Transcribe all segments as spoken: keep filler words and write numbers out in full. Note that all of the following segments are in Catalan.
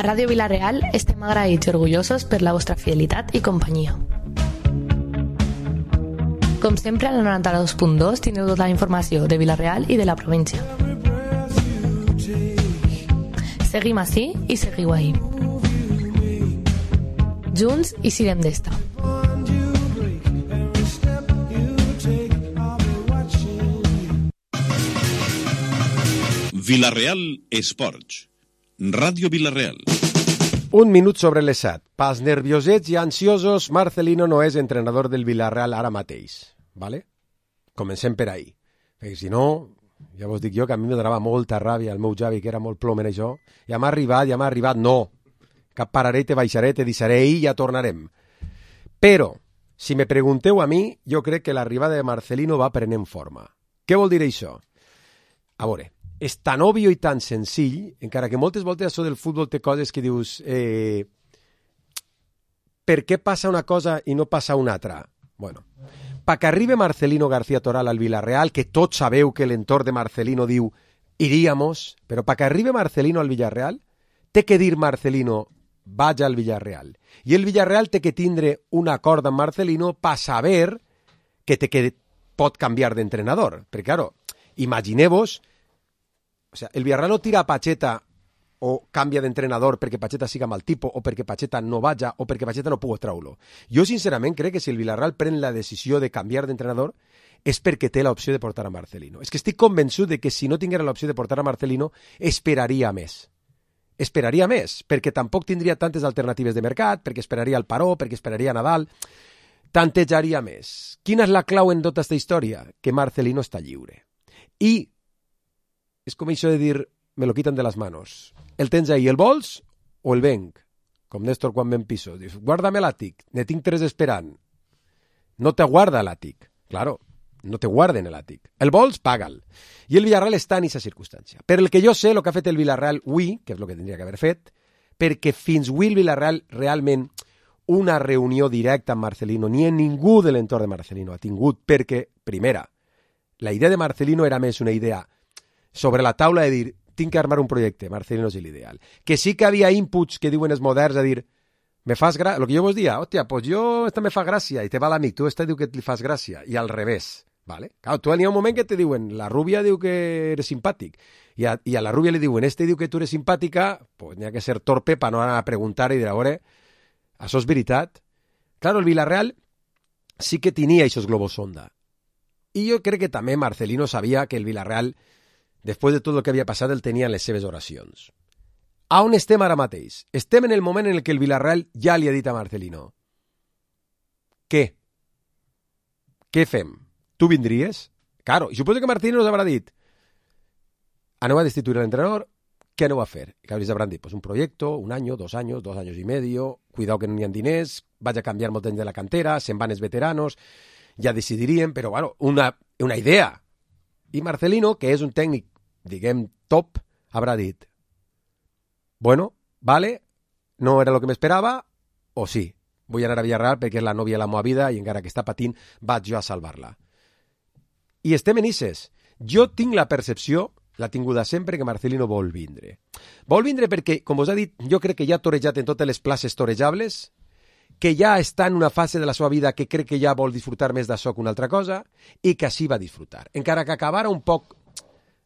A Ràdio Vila-real estem agraïts i orgullosos per la vostra fidelitat i companyia. Com sempre, a la noranta-dos punt dos tindreu tota la informació de Vila-real i de la província. Seguim ací i seguiu ahí. Junts i sirem d'esta. Vila-real Esports. Ràdio Vila-real. Un minut sobre les set. Pels nerviosets i ansiosos, Marcelino no és entrenador del Vila-real ara mateix. Vale? Comencem per ahí. Perquè si no, ja vos dic jo que a mi me donava molta ràbia el meu Javi, que era molt plom en això. Ja m'ha arribat, ja m'ha arribat. No. Cap pararé, te baixaré, te deixaré i ja tornarem. Però, si me pregunteu a mi, jo crec que l'arribada de Marcelino va prenent forma. Què vol dir això? A veure, és tan òbvio i tan senzill, encara que moltes voltes això del futbol té coses que dius eh, per què passa una cosa i no passa una altra? Bueno, perquè arribi Marcelino García Toral al Villarreal, que tots sabeu que l'entorn de Marcelino diu iríamos, però perquè arribi Marcelino al Villarreal, té que dir Marcelino vaig al Villarreal. I el Villarreal té que tindre un acord amb Marcelino per saber que, té que pot canviar d'entrenador. Perquè, claro, imagineu-vos. O sea, el Villarreal no tira a Pacheta o canvia d'entrenador perquè Pacheta siga mal tipo o perquè Pacheta no vaja o perquè Pacheta no pugui treure-lo. Jo, sincerament, crec que si el Villarreal pren la decisió de canviar d'entrenador és perquè té l'opció de portar a Marcelino. És que estic convençut de que si no tinguera l'opció de portar a Marcelino, esperaria més. Esperaria més, perquè tampoc tindria tantes alternatives de mercat, perquè esperaria el Paró, perquè esperaria Nadal, tantejaria més. Quina és la clau en tota aquesta història? Que Marcelino està lliure. I és com això de dir, me lo quitan de les manos. El tens ahí, el vols o el venc? Com Néstor quan ven piso. Dius, guárdame l'àtic, ne tinc tres esperant. No te guarda l'àtic. Claro, no te guarden l'àtic. El vols, paga'l. I el Villarreal està en aquesta circumstància. Per el que jo sé, el que ha fet el Villarreal avui, que és el que tindria que haver fet, perquè fins avui el Villarreal realment una reunió directa amb Marcelino, ni en ningú de l'entorn de Marcelino ha tingut, perquè, primera, la idea de Marcelino era més una idea sobre la taula de dir, tinc que armar un projecte, Marcelino és l'ideal. Que sí que havia inputs que diuen els moderns a dir, me fas gràcia, el que jo vos dia, hòstia, pues jo esta me fa gràcia, i te va l'amic, tu esta diu que li fas gràcia, i al revés, ¿vale? Claro, tu n'hi ha un moment que te diuen, la rubia diu que eres simpàtic, i a, i a la rubia li diuen, este diu que tu eres simpàtica, pues n'hi ha que ser torpe per no anar a preguntar i dir, a veure, això és veritat? Claro, el Villarreal sí que tenia aquests globos sonda. I jo crec que també Marcelino sabia que el Villarreal, després de tot el que havia passat, el tenia en les seves oracions. A on estem ara mateix? Estem en el moment en què el Villarreal ja li ha dit a Marcelino. Què? Què fem? Tu vindries? Claro, i suposo que Marcelino us haurà dit aneu a destituir l'entrenador, què aneu a fer? I que els hauran dit, pues un projecte, un any, dos anys, dos anys i medio, cuidao que no n'hi ha diners, vaig a canviar molt temps de la cantera, se'n van els veteranos, ja decidiríem, però bueno, una, una idea. I Marcelino, que és un tècnic, diguem, top, haurà dit, bueno, vale, no era el que m'esperava, o sí, vull anar a Villarreal perquè és la nòvia de la meva vida i encara que està patint, vaig jo a salvar-la. I estem en Ises. Jo tinc la percepció, la tinguda sempre, que Marcelino vol vindre. Vol vindre perquè, com us ha dit, jo crec que ja ha torejat en totes les places torejables, que ja està en una fase de la seva vida que crec que ja vol disfrutar més d'això que una altra cosa, i que així va disfrutar. Encara que acabara un poc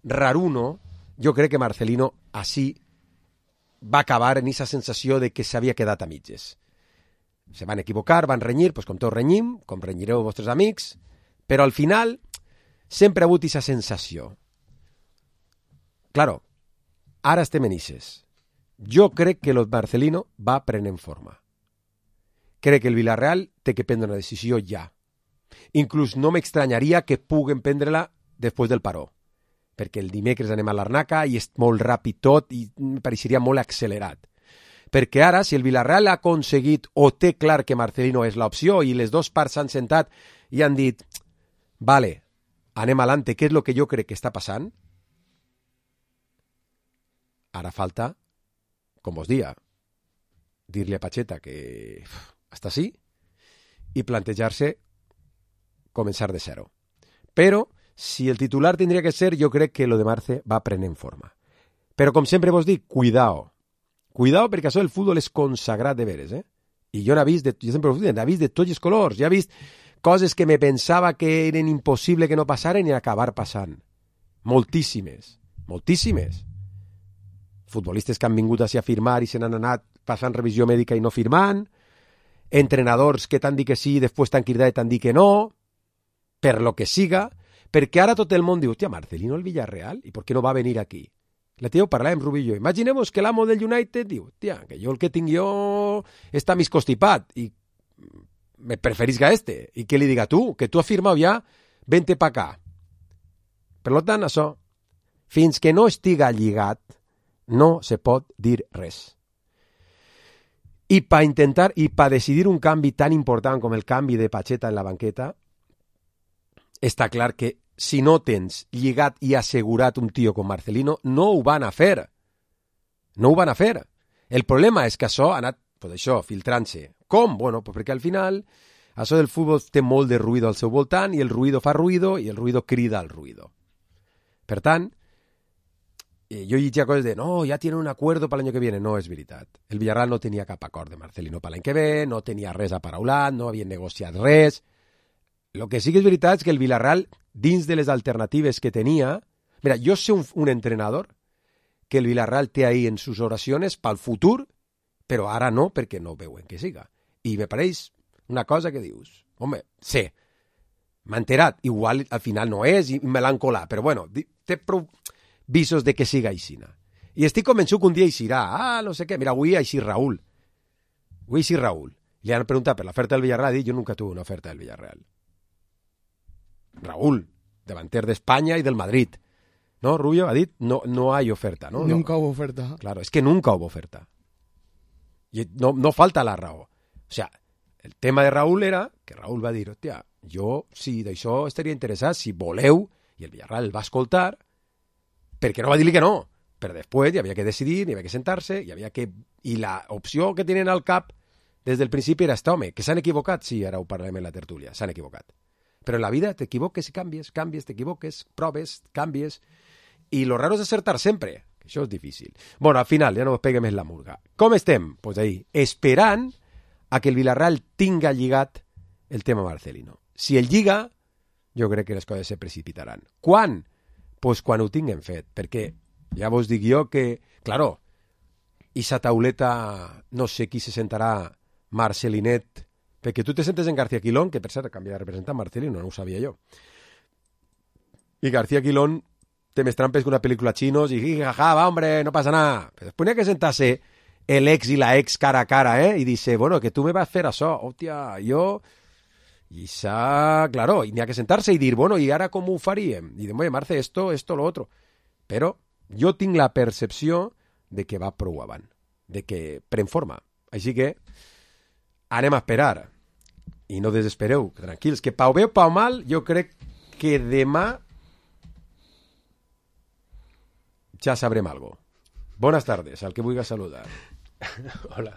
raruno, jo crec que Marcelino així va acabar en aquesta sensació de que s'havia quedat a mitges. Se van equivocar, van renyir, doncs com tots renyim, com renyireu vostres amics, però al final sempre ha hagut aquesta sensació. Claro, ara estem en Ises. Jo crec que el Marcelino va prenent forma. Crec que el Villarreal té que prendre una decisió ja. Inclús no m'extranyaria que puguen prendre-la després del Paró, perquè el dimecres anem a l'Arnaca i és molt ràpid tot i em pareixeria molt accelerat. Perquè ara, si el Villarreal ha aconseguit o té clar que Marcelino és l'opció i les dues parts s'han sentat i han dit, vale, anem alante, què és el que jo crec que està passant? Ara falta, com vos dia, dir-li a Pacheta que està així i plantejar-se començar de zero. Però, si el titular tindria que ser, jo crec que lo de Marce va prenent forma. Però, com sempre vos dic, cuidao. Cuidado, perquè això del futbol és consagrat de veres, eh? I jo n'he vist, de, jo sempre ho dic, n'he vist de tots els colors, ja he vist coses que me pensava que eren impossible que no passaren i acabar passant. Moltíssimes, moltíssimes. Futbolistes que han vingut a firmar i se n'han anat passant revisió mèdica i no firmant, entrenadors que t'han dit que sí i després t'han cridat i t'han dit que no, per lo que siga, perquè ara tot el món diu, hòstia, Marcelino el Villarreal, i per què no va venir aquí? La tio parlàvem, Rubí i jo. Imaginemos que l'amo del United diu, tia, que jo el que tinc jo està més constipat i me preferís que este. I que li diga tu, que tu has firmat ja, vente pa acá. Per tant, això, fins que no estiga lligat, no se pot dir res. I per intentar, i per decidir un canvi tan important com el canvi de Pacheta en la banqueta, està clar que si no tens lligat i assegurat un tio com Marcelino, no ho van a fer. No ho van a fer. El problema és que això ha anat, pues això, filtrant-se. Com? Bueno, pues perquè al final això del futbol té molt de ruïdo al seu voltant i el ruïdo fa ruïdo i el ruïdo crida al ruïdo. Per tant, jo llegia coses de no, ja tienen un acuerdo per l'any que viene. No és veritat. El Villarreal no tenia cap acord de Marcelino per l'any que ve, no tenia res aparaulat, no havien negociat res. El que sí que és veritat és que el Villarreal, dins de les alternatives que tenia... Mira, jo sé un, un entrenador que el Villarreal té ahí en sus oracions pel futur, però ara no, perquè no veuen que siga. I me pareix una cosa que dius, home, sé, m'ha enterat, igual al final no és i me l'han colat, però bueno, té prou visos de que siga aixina. I estic convençut que un dia eixirà, ah, no sé què, mira, avui eixir Raúl. Avui eixir Raúl. Li han preguntat per l'oferta del Villarreal, ha dit, jo nunca tuve una oferta del Villarreal. Raúl, delanter de España y del Madrid. ¿No, Rubio? Ha dit, no, no hay oferta, ¿no? Nunca no. hubo oferta. Claro, es que nunca hubo oferta. Y no, no falta la raó. O sea, el tema de Raúl era que Raúl va dir, hòstia, jo, si d'això estaria interessat, si voleu, i el Villarreal el va escoltar, perquè no va dir-li que no. Però després hi havia que decidir, hi havia que sentar-se, hi havia que... I la opció que tenen al cap des del principi era, home, que s'han equivocat, sí, ara ho parlem en la tertúlia, s'han equivocat. Però en la vida t'equivoques i canvies, canvies, t'equivoques, proves, canvies, i lo raro és acertar sempre, que això és difícil. Bueno, al final, ja no us pegue més la murga. Com estem? Doncs pues ahí, esperant a que el Villarreal tinga lligat el tema Marcelino. Si el lliga, jo crec que les coses se precipitaran. Quan? Doncs pues quan ho tinguem fet, perquè ja vos dic jo que, claro, esa tauleta, no sé qui se sentarà Marcelinet, perquè tu te sentes en García Quilón, que per cert canvia de representant Marcelino, no ho sabia jo. I García Quilón té més trampes que una pel·lícula chinos i jaja, va, hombre, no pasa nada. Però després n'hi ha que sentar-se el ex i la ex cara a cara, eh? I dice, bueno, que tu me vas fer això, hòstia, jo... I s'ha... Claro, i n'hi ha que sentar-se i dir, bueno, i ara com ho faríem? I diuen, oye, Marce, esto, esto, lo otro. Però jo tinc la percepció de que va prou avant, de que pren forma. Així que anem a esperar. I no desespereu, tranquils, que pau bé o pau mal, jo crec que demà ja sabrem algo. Buenas tardes, al que vulgui saludar. Hola.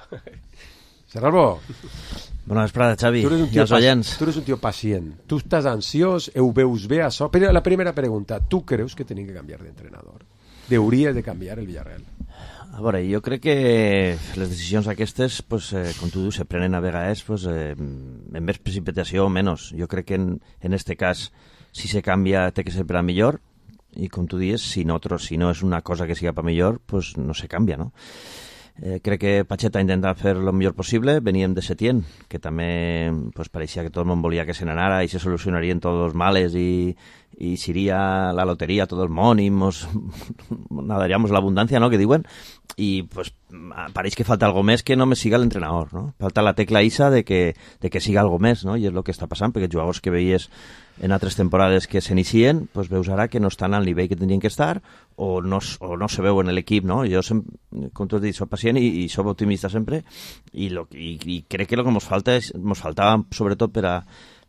Serralbo. Bona vesprada, Xavi, i els oients. Tu eres un tio pacient, tu estàs ansiós, ho veus bé això. Però la primera pregunta, tu creus que tenim que canviar d'entrenador? Deuries de canviar el Villarreal? A veure, jo crec que les decisions aquestes, pues, eh, com tu dius, se prenen a vegades pues, eh, en més precipitació o menys. Jo crec que en, en este cas, si se canvia, té que ser per a millor, i com tu dius, si no, si no és una cosa que siga per millor, pues no se canvia, no? Eh, crec que Pacheta ha intentat fer el millor possible. Veníem de Setién, que també pues, pareixia que tot el món volia que se n'anara i se solucionarien tots els males i, i seria la loteria a tot el món i mos nadaríamos la abundancia, ¿no?, que diuen. I pues, pareix que falta algo més que no me siga l'entrenador, ¿no? Falta la tecla Isa de que, de que siga algo més, ¿no? I és el que està passant, perquè jugadors que veies en altres temporades que s'inicien, pues veus ara que no estan al nivell que tindrien que estar o no, o no se veu en l'equip, no? Jo, sem, com tu has dit, soc pacient i, i soc optimista sempre i, lo, i, i crec que el que ens falta és, ens faltava sobretot per a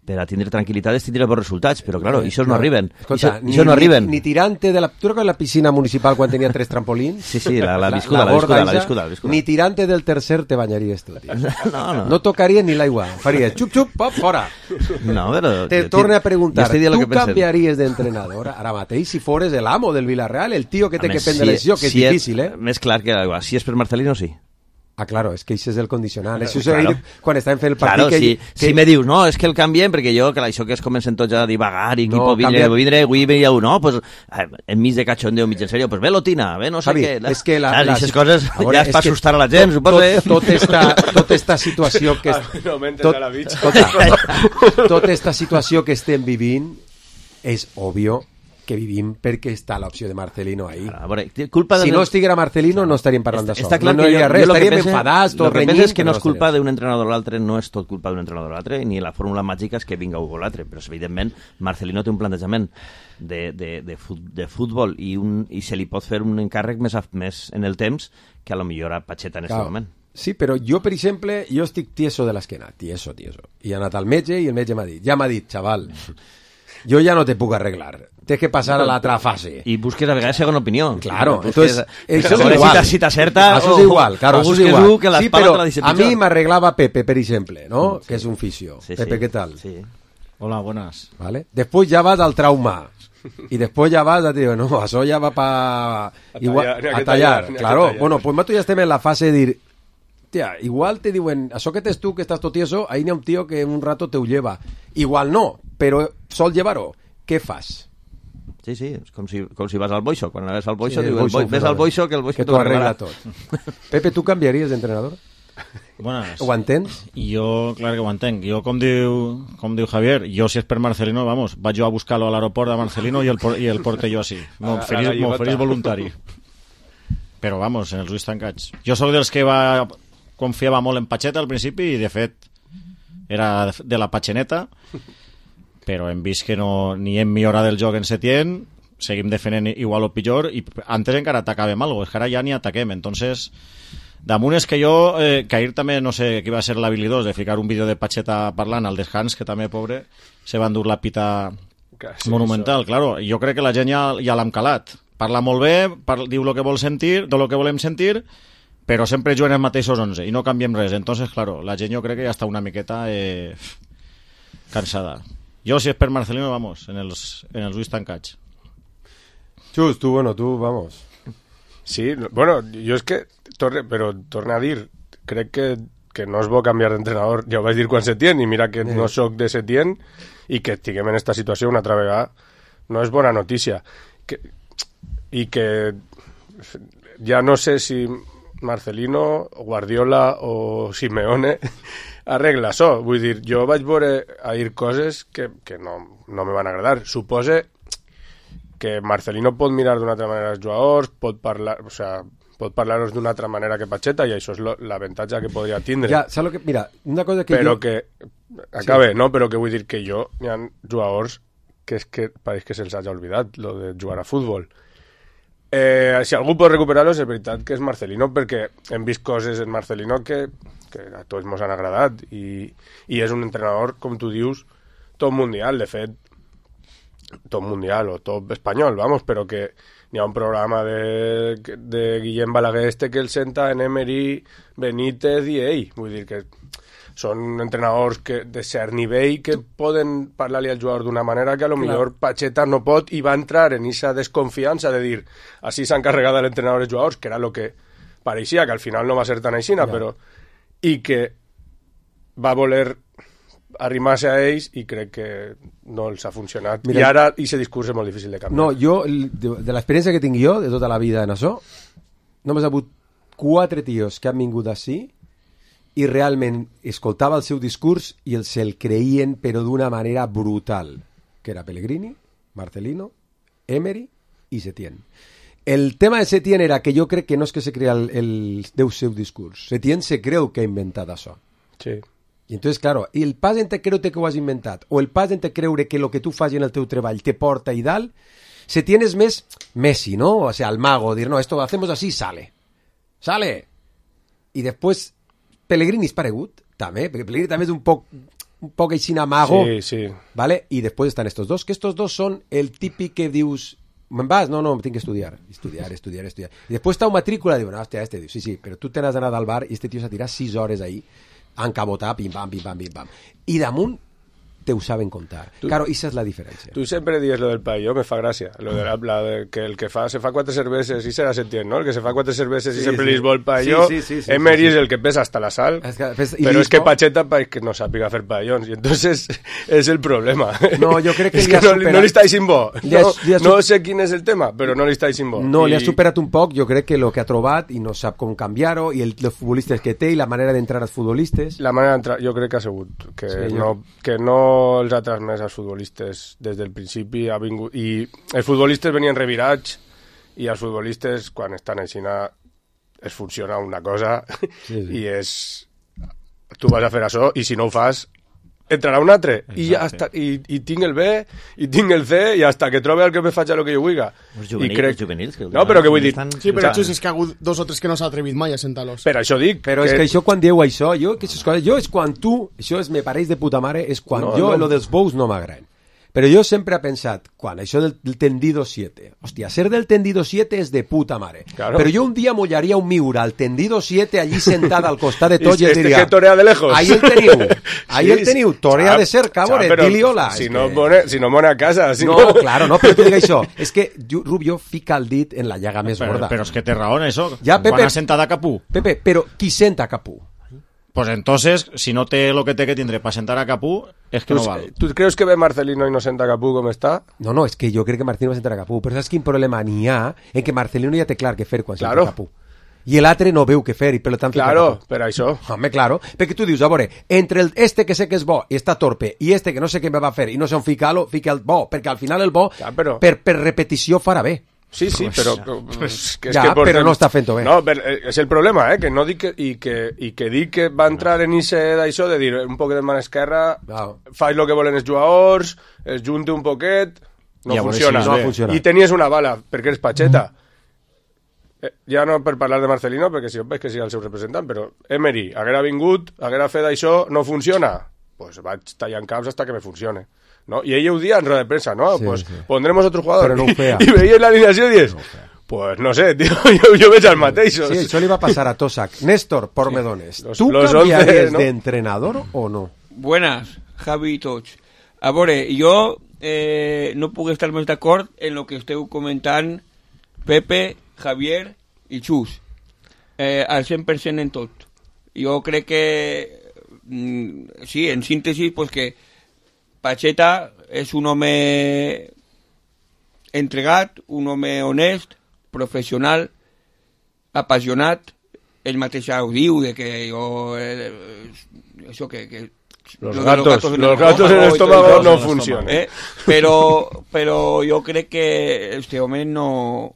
per a tindre tranquil·litat és tindre bons resultats, però claro, això no arriben. Escolta, Ixos, ni, no arriben. Ni, ni tirante de la... ¿Tú recuerdas la piscina municipal quan tenia tres trampolins? Sí, sí, la, la viscuda, la, la, viscuda, la, viscuda, la viscuda. Ni tirante del tercer te bañaries tu, tio. No, no. No tocaries ni l'aigua. Faries xup, xup, pop, fora. No, però... Te torne a preguntar, tu canviaries d'entrenador ara mateix si fores el amo del Villarreal, el tio que té que prendre si, decisió, que és si difícil, eh? Més clar que l'aigua. Si és per Marcelino, sí. Ah, claro, és que això és el condicionant. Això és Claro. quan estàvem fent el partit... Claro, que, si, que... si me dius, no, és que el canviem, perquè jo, que això que es comencen tots a divagar, i qui No, pot vindre, canvia- vindre, avui veia un, no, pues, eh, enmig de cachondeo, mig en sèrio, pues ve l'Otina, ve no sé Javi, què. és que la- Saps? la- Aquestes coses a veure, ja és és per que assustar a la gent, tot, suposo. tot, tot esta, tota esta situació que... No mentes tot, a la bitxa. tota, tota esta situació que estem vivint és obvio que vivim perquè està l'opció de Marcelino ahí. A veure, culpa de... Si no estiguera Marcelino no estaríem parlant d'això. Està clar no, no que hi jo, ha res, jo lo que estaríem pense- enfadats, tot lo que renyint. penso és que no però és culpa estaríem. d'un entrenador o l'altre, no és tot culpa d'un entrenador o l'altre, ni la fórmula màgica és que vinga Hugo l'altre, però evidentment Marcelino té un plantejament de, de, de, fut, de futbol i, un, i se li pot fer un encàrrec més, a, més en el temps que a lo millor a Pacheta en aquest Clar. moment. Sí, però jo, per exemple, jo estic tieso de l'esquena, tieso, tieso. I he anat al metge i el metge m'ha dit, ja m'ha dit, xaval, jo ja no te puc arreglar, tens que passar a l'altra fase. I busques a vegades segona opinió. Claro, Busques, entonces, a eso veure es igual. Si, si t'acerta Eso o, es igual, claro, o eso es busques igual. un que Sí, l'espalda però te la dice a mi pitjor. m'arreglava Pepe, per exemple, ¿no? Que es un fisio. Sí, Pepe, sí. ¿qué tal? Sí. Hola, buenas. ¿Vale? Después ya vas al trauma. Y después ya vas a dir, no, això ja va pa... Igual, tallar, n'hi ha a que tallar, tallar, n'hi ha que claro. tallar. Bueno, pues nosaltres ja estem en la fase de dir, tia, igual te diuen, això que tens tu, que estàs tot tieso, ahí n'hi ha un tío que un rato te ho lleva. Igual no, però sol llevar-ho. Què fas? Sí, sí, és com si, com si vas al boixo. Quan anaves al boixo, Sí, el diu, el boixo boi, ves fenomen. al boixo que el boixo Que t'ho t'ho arregla arreglarà. tot. Pepe, tu canviaries d'entrenador? Buenas. Ho entens? Jo, clar que ho entenc. Jo, com diu, com diu Javier, jo si és per Marcelino, vamos, vaig jo a buscar-lo a l'aeroport de Marcelino i el, por- i el porte jo així. A- a la M'oferís llibota. m'oferís voluntari. Però, vamos, en els ulls tancats. Jo sóc dels que va confiava molt en Pacheta al principi i, de fet, era de la Pacheneta, però hem vist que no, ni hem millorat el joc en Setién, seguim defendent igual o pitjor, i antes encara atacàvem algo, és que ara ja ni ataquem, entonces... Damunt és que jo, eh, que ahir també, no sé qui va ser l'habilidós de ficar un vídeo de Pacheta parlant al descans, que també, pobre, se va endur la pita Sí, monumental, claro. Jo crec que la gent ja, ja l'hem calat. Parla molt bé, parla, diu el que vol sentir, de lo que volem sentir, però sempre juguen els mateixos onze i no canviem res. Entonces, claro, la gent jo crec que ja està una miqueta eh, cansada. Jo, si és per Marcelino, vamos, en els, en els ulls tancats. Xus, tu, bueno, tu, vamos. Sí, no- bueno, jo és que, torne, però torna a dir, crec que, que no és bo canviar d'entrenador, ja ho vaig dir quan Setién, i mira que no sóc de Setién, i que estiguem en esta situació una altra vegada, no és bona notícia. Que, I que ja no sé si Marcelino, Guardiola o Simeone arregla això. Vull dir, jo vaig veure ahir coses que, que no, no me van agradar. Supose que Marcelino pot mirar d'una altra manera els jugadors, pot parlar, o sea, pot parlar-los d'una altra manera que Pacheta, i això és lo, l'avantatge que podria tindre. Ja, saps lo que... Mira, una cosa que però jo... que... Acabe, sí. No? Però que vull dir que jo... Hi ha jugadors que és que pareix que se'ls hagi oblidat, lo de jugar a futbol. Eh, si algú pot recuperar-los, és veritat que és Marcelino, perquè hem vist coses en Marcelino que, que a tots ens han agradat, i, i és un entrenador, com tu dius, top mundial, de fet, top mundial o top espanyol, vamos, però que hi ha un programa de, de Guillem Balaguer este que el senta en Emery, Benítez i ell. Vull dir que són entrenadors que, de cert nivell que poden parlar-li al jugador d'una manera que a lo millor Pacheta no pot, i va entrar en aquesta desconfiança de dir així s'ha encarregat l'entrenador dels jugadors, que era el que pareixia, que al final no va ser tan aixina, Ja. però i que va voler arrimar-se a ells, i crec que no els ha funcionat. Mira, I ara aquest discurs és molt difícil de canviar. No, jo, el- de, de l'experiència que tinc jo, de tota la vida en això, només ha hagut quatre tios que han vingut així i realment escoltava el seu discurs i el se'l creien, però d'una manera brutal, que era Pellegrini, Marcelino, Emery i Setién. El tema de Setién era que jo crec que no és que se crea el, el, el seu discurs. Setién se creu que ha inventat això. Sí. I entonces, claro, el pas entre creure que ho has inventat o el pas entre creure que el que tu fas en el teu treball te porta i dalt, se tienes més Messi, ¿no? O sea, el mago, dir, no, esto lo hacemos así, sale. Sale. I després Pellegrini és paregut, també, perquè Pellegrini també és un poc un poc així mago, Sí, sí. ¿vale? Y después están estos dos, que estos dos son el típic que dius, me'n vas? No, no, tinc que estudiar. Estudiar, estudiar, estudiar. I després està una matrícula i diuen, hòstia, este, diu, sí, sí, però tu te n'has d'anar al bar i este tio s'ha tirat sis hores ahí, encabotar, pim-pam, pim-pam, pim-pam. I damunt te ho saben contar. Tu, claro, esa és la diferència. Tu sempre dius lo del paelló, me fa gràcia. Lo de la, la de que el que fa, se fa quatre cerveses i serà sentient, ¿no? El que se fa quatre cerveses sí, i sempre sí. li vol paelló. Sí, sí, sí, sí, Emery sí, sí, sí. és el que pesa hasta la sal. Es que, pues, però és que Pacheta pa, que no sàpiga fer paellons. I entonces és el problema. No, jo crec que, és li que no, superat... no li està aixint bo. Li has, no, li has... no sé quin és el tema, però no li està aixint bo. No, I... li ha superat un poc. Jo crec que el que ha trobat i no sap com canviar-ho i el, els futbolistes que té i la manera d'entrar als futbolistes. La manera d'entrar, jo crec que ha sigut que, sí, no, jo... que no els ha transmès als futbolistes des del principi ha vingut, i els futbolistes venien revirats i els futbolistes quan estan així es funciona una cosa sí, sí. i és tu vas a fer això i si no ho fas entrarà un altre i, hasta, i, i tinc el B i tinc el C i hasta que trobe el que me faci el que jo vulgui. Juvenils, crec... juvenils, que no, però que vull dir... Sí, però això és que ha hagut dos o tres que no s'ha atrevit mai a sentar-los. Per això dic... Però que... és que això quan dieu això, jo, que això, jo és quan tu, això és, me pareix de puta mare, és quan no, jo, no. lo dels bous no m'agraden. Però jo sempre he pensat, quan això del, del tendido siete, hòstia, ser del tendido siete és de puta mare. Claro. Però jo un dia mollaria un miura al tendido siete allí sentada al costat de tots i, i este diria... que torea de lejos. Ahí el teniu, ahí sí, el teniu, torea de ser, cabore, dili hola. Si es no, que... pone, si no mone a casa. Si no, no, claro, no, però tu digue això. És que Rubio fica el dit en la llaga més però, gorda. Però és que té raó en això. Ja, Pepe, quan ha sentat a Capú. Pepe, però qui senta a Capú? Pues entonces, si no té lo que té que tindre para sentar a Capú, es que ¿Tú, no val. ¿Tú crees que ve Marcelino y no senta a Capú com està? No, no, és que jo crec que Marcelino va sentar a Capú, però saps quin problema n'hi ha en que Marcelino ja té clar què fer quan claro. senta a Capú. I l'altre no veu què fer, i per tant... Claro, per això. Home, claro, perquè tu dius, a veure, entre el, este que sé que és bo i està torpe, i este que no sé què me va fer, i no sé on ficar-lo, fica el bo, perquè al final el bo, ja, però... per, per repetició farà bé. Sí, sí, però... Pues, que és ja, que portem... però no està fent-ho bé. No, però és el problema, eh? Que no dic que, i, que, i que dic que va entrar en ixe d'això de dir un poquet de mà esquerra, wow. faig el que volen els jugadors, es junte un poquet, no funciona. Si no funciona. I tenies una bala, perquè eres Pacheta. Mm. Eh, ja no per parlar de Marcelino, perquè si jo veig que sigui el seu representant, però Emery haguera vingut, haguera fet això, no funciona, pues vaig tallant caps hasta que me funcione. ¿No? Y ella un día en rueda de prensa, ¿no? Sí, pues sí. Pondremos otro jugador. No y, y veía la alineación y dices, no pues no sé, tío, yo, yo veig al mateix. Sí, això li va passar a Tosac. Néstor Pormedones, sí. ¿tú los cambiarías once, ¿no? de entrenador o no? Buenas, Javi i tots. A veure, jo eh, no puc estar més d'acord en lo que esteu comentant Pepe, Javier i Xus. Eh, al cent per cent en tot. Jo crec que, mm, sí, en síntesi, pues que Pacheta és un home entregat, un home honest, professional, apassionat. Ell mateix ja ho diu, de que jo... Eh, això que... que los, los gatos, gatos en los el gatos en el estómago no funcionan. Eh? Però, però jo crec que este home no...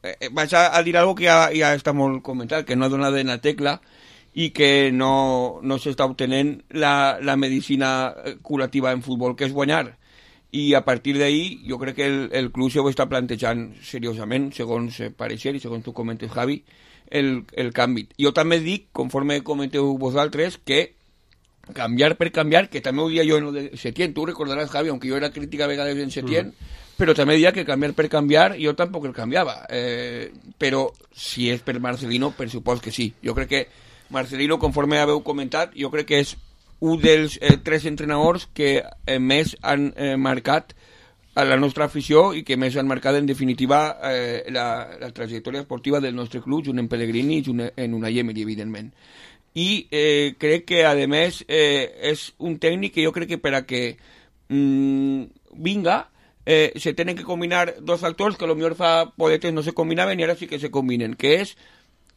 Eh, vaig a, a dir algo que ja, ja està molt comentat, que no ha donat en la tecla, i que no, no s'està obtenent la, la medicina curativa en futbol, que és guanyar. I a partir d'ahí jo crec que el, el club s'ho està plantejant seriosament, segons pareixer i segons tu comentes, Javi, el, el canvi. Jo també dic, conforme comenteu vosaltres, que canviar per canviar, que també ho dia jo en el de Setién, tu recordaràs, Javi, aunque jo era crítica a vegades en Setién, mm. però també dia que canviar per canviar jo tampoc el canviava. Eh, però si és per Marcelino, per supòs que sí. Jo crec que Marcelino, conforme haveu comentat, jo crec que és un dels eh, tres entrenadors que eh, més han eh, marcat a la nostra afició i que més han marcat en definitiva eh, la, la trajectòria esportiva del nostre club, junt en Pellegrini i junt en Unai Emery, evidentment. I eh, crec que, a més, eh, és un tècnic que jo crec que per a que mm, vinga eh, se tenen que combinar dos factors que potser fa podetes no se combinaven i ara sí que se combinen, que és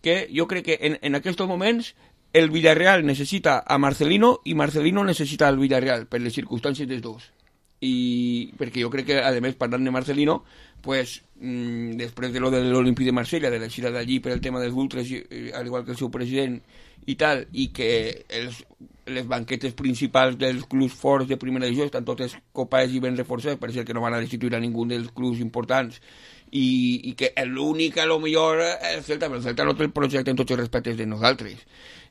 que jo crec que en, en aquests moments el Villarreal necessita a Marcelino i Marcelino necessita al Villarreal per les circumstàncies dels dos. I perquè jo crec que, a més, parlant de Marcelino, pues, mmm, després de lo de l'Olímpic de Marsella, de la gira d'allí per el tema dels ultras, al igual que el seu president i tal, i que els, les banquetes principals dels clubs forts de primera divisió estan totes copades i ben reforçades, per ser que no van a destituir a ningú dels clubs importants, i, i que l'únic a lo millor el Celta, però el Celta no té el projecte en tots els respectes de nosaltres.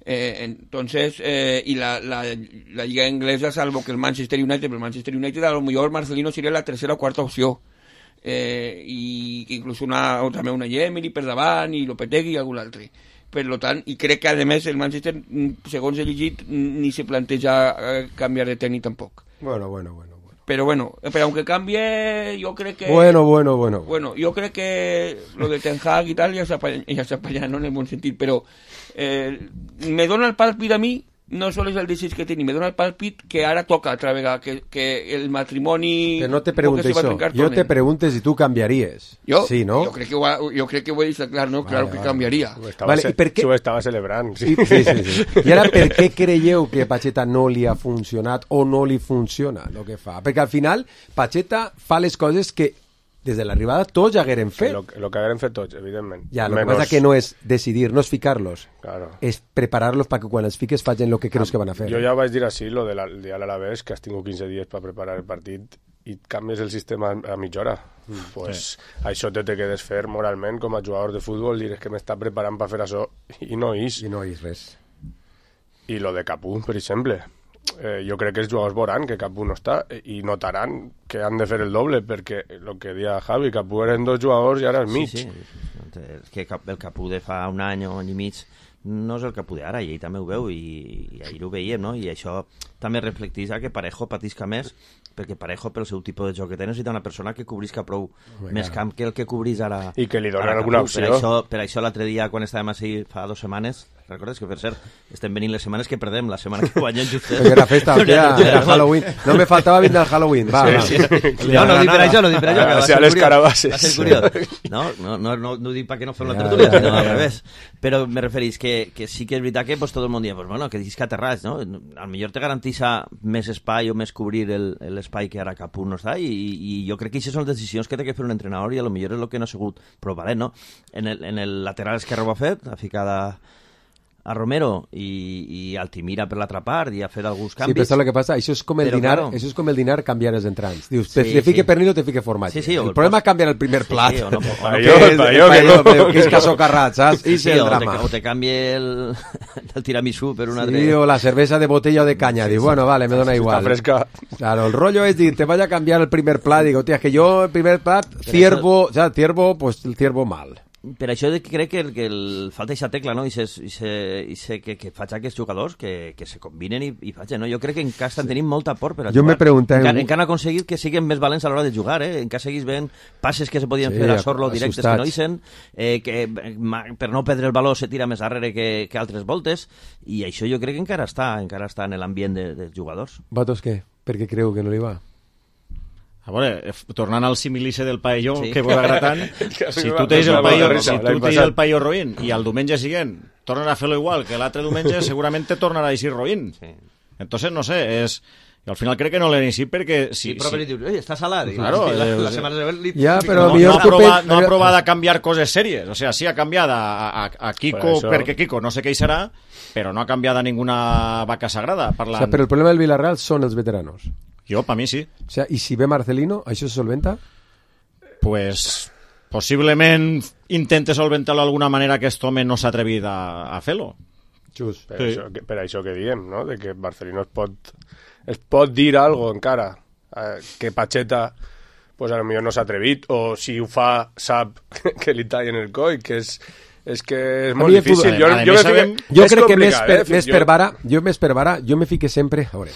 Eh, entonces, eh, y la, la, la Lliga Inglesa, salvo que el Manchester United, pero el Manchester United a lo millor Marcelino seria la tercera o quarta opció. Eh, i inclús una, o també una Emery per davant, i Lopetegui i algun altre. Per lo tant, i crec que a més el Manchester, segons he llegit, ni se planteja canviar de tècnic tampoc. Bueno, bueno, bueno. Pero bueno, pero aunque cambie, yo creo que... Bueno, bueno, bueno. Bueno, yo creo que lo de Ten Hag y tal ja s'apanya, no en el bon sentit, però eh, me dona el pàlpit a mi, no sols el desig que té, me dona el pàlpit que ara toca altra vegada, que, que el matrimoni... Que no te pregunte això, jo te pregunte si tu canviaries. Jo? Sí, no? Jo crec que ho, ha, jo crec que ho he deixat clar, no? Claro vale, que vale. canviaria. Vale, i per què... S'ho estava celebrant. Sí. I, sí, sí, sí. I ara, per què creieu que Pacheta no li ha funcionat o no li funciona el que fa? Perquè al final, Pacheta fa les coses que des de l'arribada tots ja hagueren fet. Lo, lo que hagueren fet tots, evidentment. Ja, el Menos... que passa que no és decidir, no és ficar-los, claro. és preparar-los perquè quan els fiques facin el que creus que van a fer. Jo ja vaig dir així, lo del de dia a l'Alavés, que has tingut quinze dies per preparar el partit i canvies el sistema a mitja hora. Mm, pues sí. Això te te quedes fer moralment com a jugador de futbol, dir que m'està preparant per fer això i no és. I no és res. I lo de Capú, per exemple. Eh, jo crec que els jugadors veuran que Capú no està i notaran que han de fer el doble, perquè el que dia Javi, Capú eren dos jugadors i ara és mig. Sí, sí. És que el Capú de fa un any o any i mig no és el Capú d'ara, i ell també ho veu, i, i ahir ho veiem, no? I això també reflecteix que Parejo patisca més, perquè Parejo, pel seu tipus de joc que té, necessita una persona que cobrisca prou oh més camp que el que cobrís ara. I que li donen alguna opció. Per això, per això l'altre dia, quan estàvem així fa dues setmanes, recordes que, per cert, estem venint les setmanes que perdem, la setmana que guanyem justet. Perquè era festa, hòstia, era Halloween. No me faltava vindre al Halloween, va, va. Sí, sí. No, no dic per això, no dic per això, que va ser curiós. Va ser curiós. No, no, no, no, no dic perquè no fem la tertúlia, sinó al revés. Però me referís que, que sí que és veritat que pues, tot el món dia, pues, bueno, que diguis que aterrats, no? Al millor te garantissa més espai o més cobrir l'espai que ara Capú no està, i, i jo crec que aquestes són les decisions que té que fer un entrenador, i a lo millor és el que no ha sigut prou valent, no? En el, en el lateral esquerre ho ha fet, ha ficada a Romero i, i Altimira per l'altra part i ha fet alguns canvis. Sí, però saps el que passa? Això és com el però, dinar, claro. això és com el dinar canviar els entrants. Dius, te, Sí, te fique sí. pernil o te fique formatge. Sí, sí, el el problema pos- és canviar el primer plat. Sí, o no, o no, Que jo, és- pa jo, que pa no. jo, que és casocarrat, saps? I Sí, és el o, te, drama. o te canvi el, el tiramisú per un altre... Sí, o la cerveza de botella o de caña. Digo, bueno, vale, me dona Està igual. fresca. Claro, el rollo es decir, te vaya a cambiar el primer plat. Digo, tía, es que yo el primer plat, ciervo, o sea, ciervo, pues el ciervo mal. Per això de que crec que, el, que el, falta aquesta tecla, no? I, se, i, se, i se, que, que faig aquests jugadors que, que se combinen i, i facin, no? Jo crec que en cas estan tenint molta por per a Jo jugar. me pregunté- Encara, encara han aconseguit que siguin més valents a l'hora de jugar, eh? Encara seguís veient passes que se podien Sí, fer a Sorlo directes que no assustats. isen, eh, que ma, per no perdre el valor se tira més darrere que, que altres voltes, i això jo crec que encara està, encara està en l'ambient de, dels jugadors. Vosaltres què? Per què creu que no li va? A veure, eh, tornant al similice del paelló, Sí. que vos agrada tant, si tu tens el paelló, si tu tens el paelló roïn i el diumenge següent tornen a fer-lo igual que l'altre diumenge, segurament te tornarà a dir roïn. Sí. Entonces, no sé, és... I al final crec que no l'he ni sí perquè... Si, Sí, però si... si... dius, oi, està salat. Claro, I la, eh, la setmana següent li... Ja, però no, millor no, ha tu provat, pen- no ha però- provat a canviar coses sèries. O sea, sí ha canviat a, a, a Kiko Per això- perquè Kiko no sé què hi serà, però no ha canviat a ninguna vaca sagrada. O Parlant... sea, pero el problema del Villarreal son els veteranos. Jo, per mi sí. O sea, y si ve Marcelino, ¿això se solventa? Pues possiblement intente solventar-lo d'alguna manera que aquest home no s'ha atrevit a, a fer-lo. Just. Per, Sí. això, que, per això que diem, no? De que Marcelino es pot, es pot dir algo encara, eh, que Pacheta pues a lo millor no s'ha atrevit, o si ho fa sap que li tallen el coll, que és, és que és A molt mi el difícil. futbol- Jo, a jo, més me fique, sabem- Jo és crec que més complicat, per, eh? més Jo- per vara, jo més per vara, jo me fique sempre... A veure,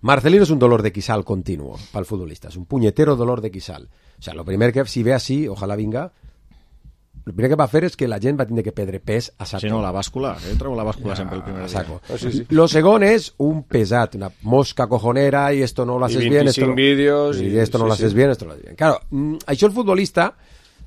Marcelino és un dolor de quissal continuo pel futbolista, és un punyetero dolor de quissal. O sea, lo primer que, si ve así, ojalá vinga, el primer que va a fer és que la gent va tindre que perdre pes a saco. Si no, la bàscula. Jo trobo la bàscula sempre el primer A dia. saco. Ah, sí, sí. Lo segon és un pesat, una mosca cojonera y esto no lo haces I bien, esto veinticinc no, vídeos y i- esto no sí, lo haces sí. bien, esto no lo haces bien. Claro, mm, això el futbolista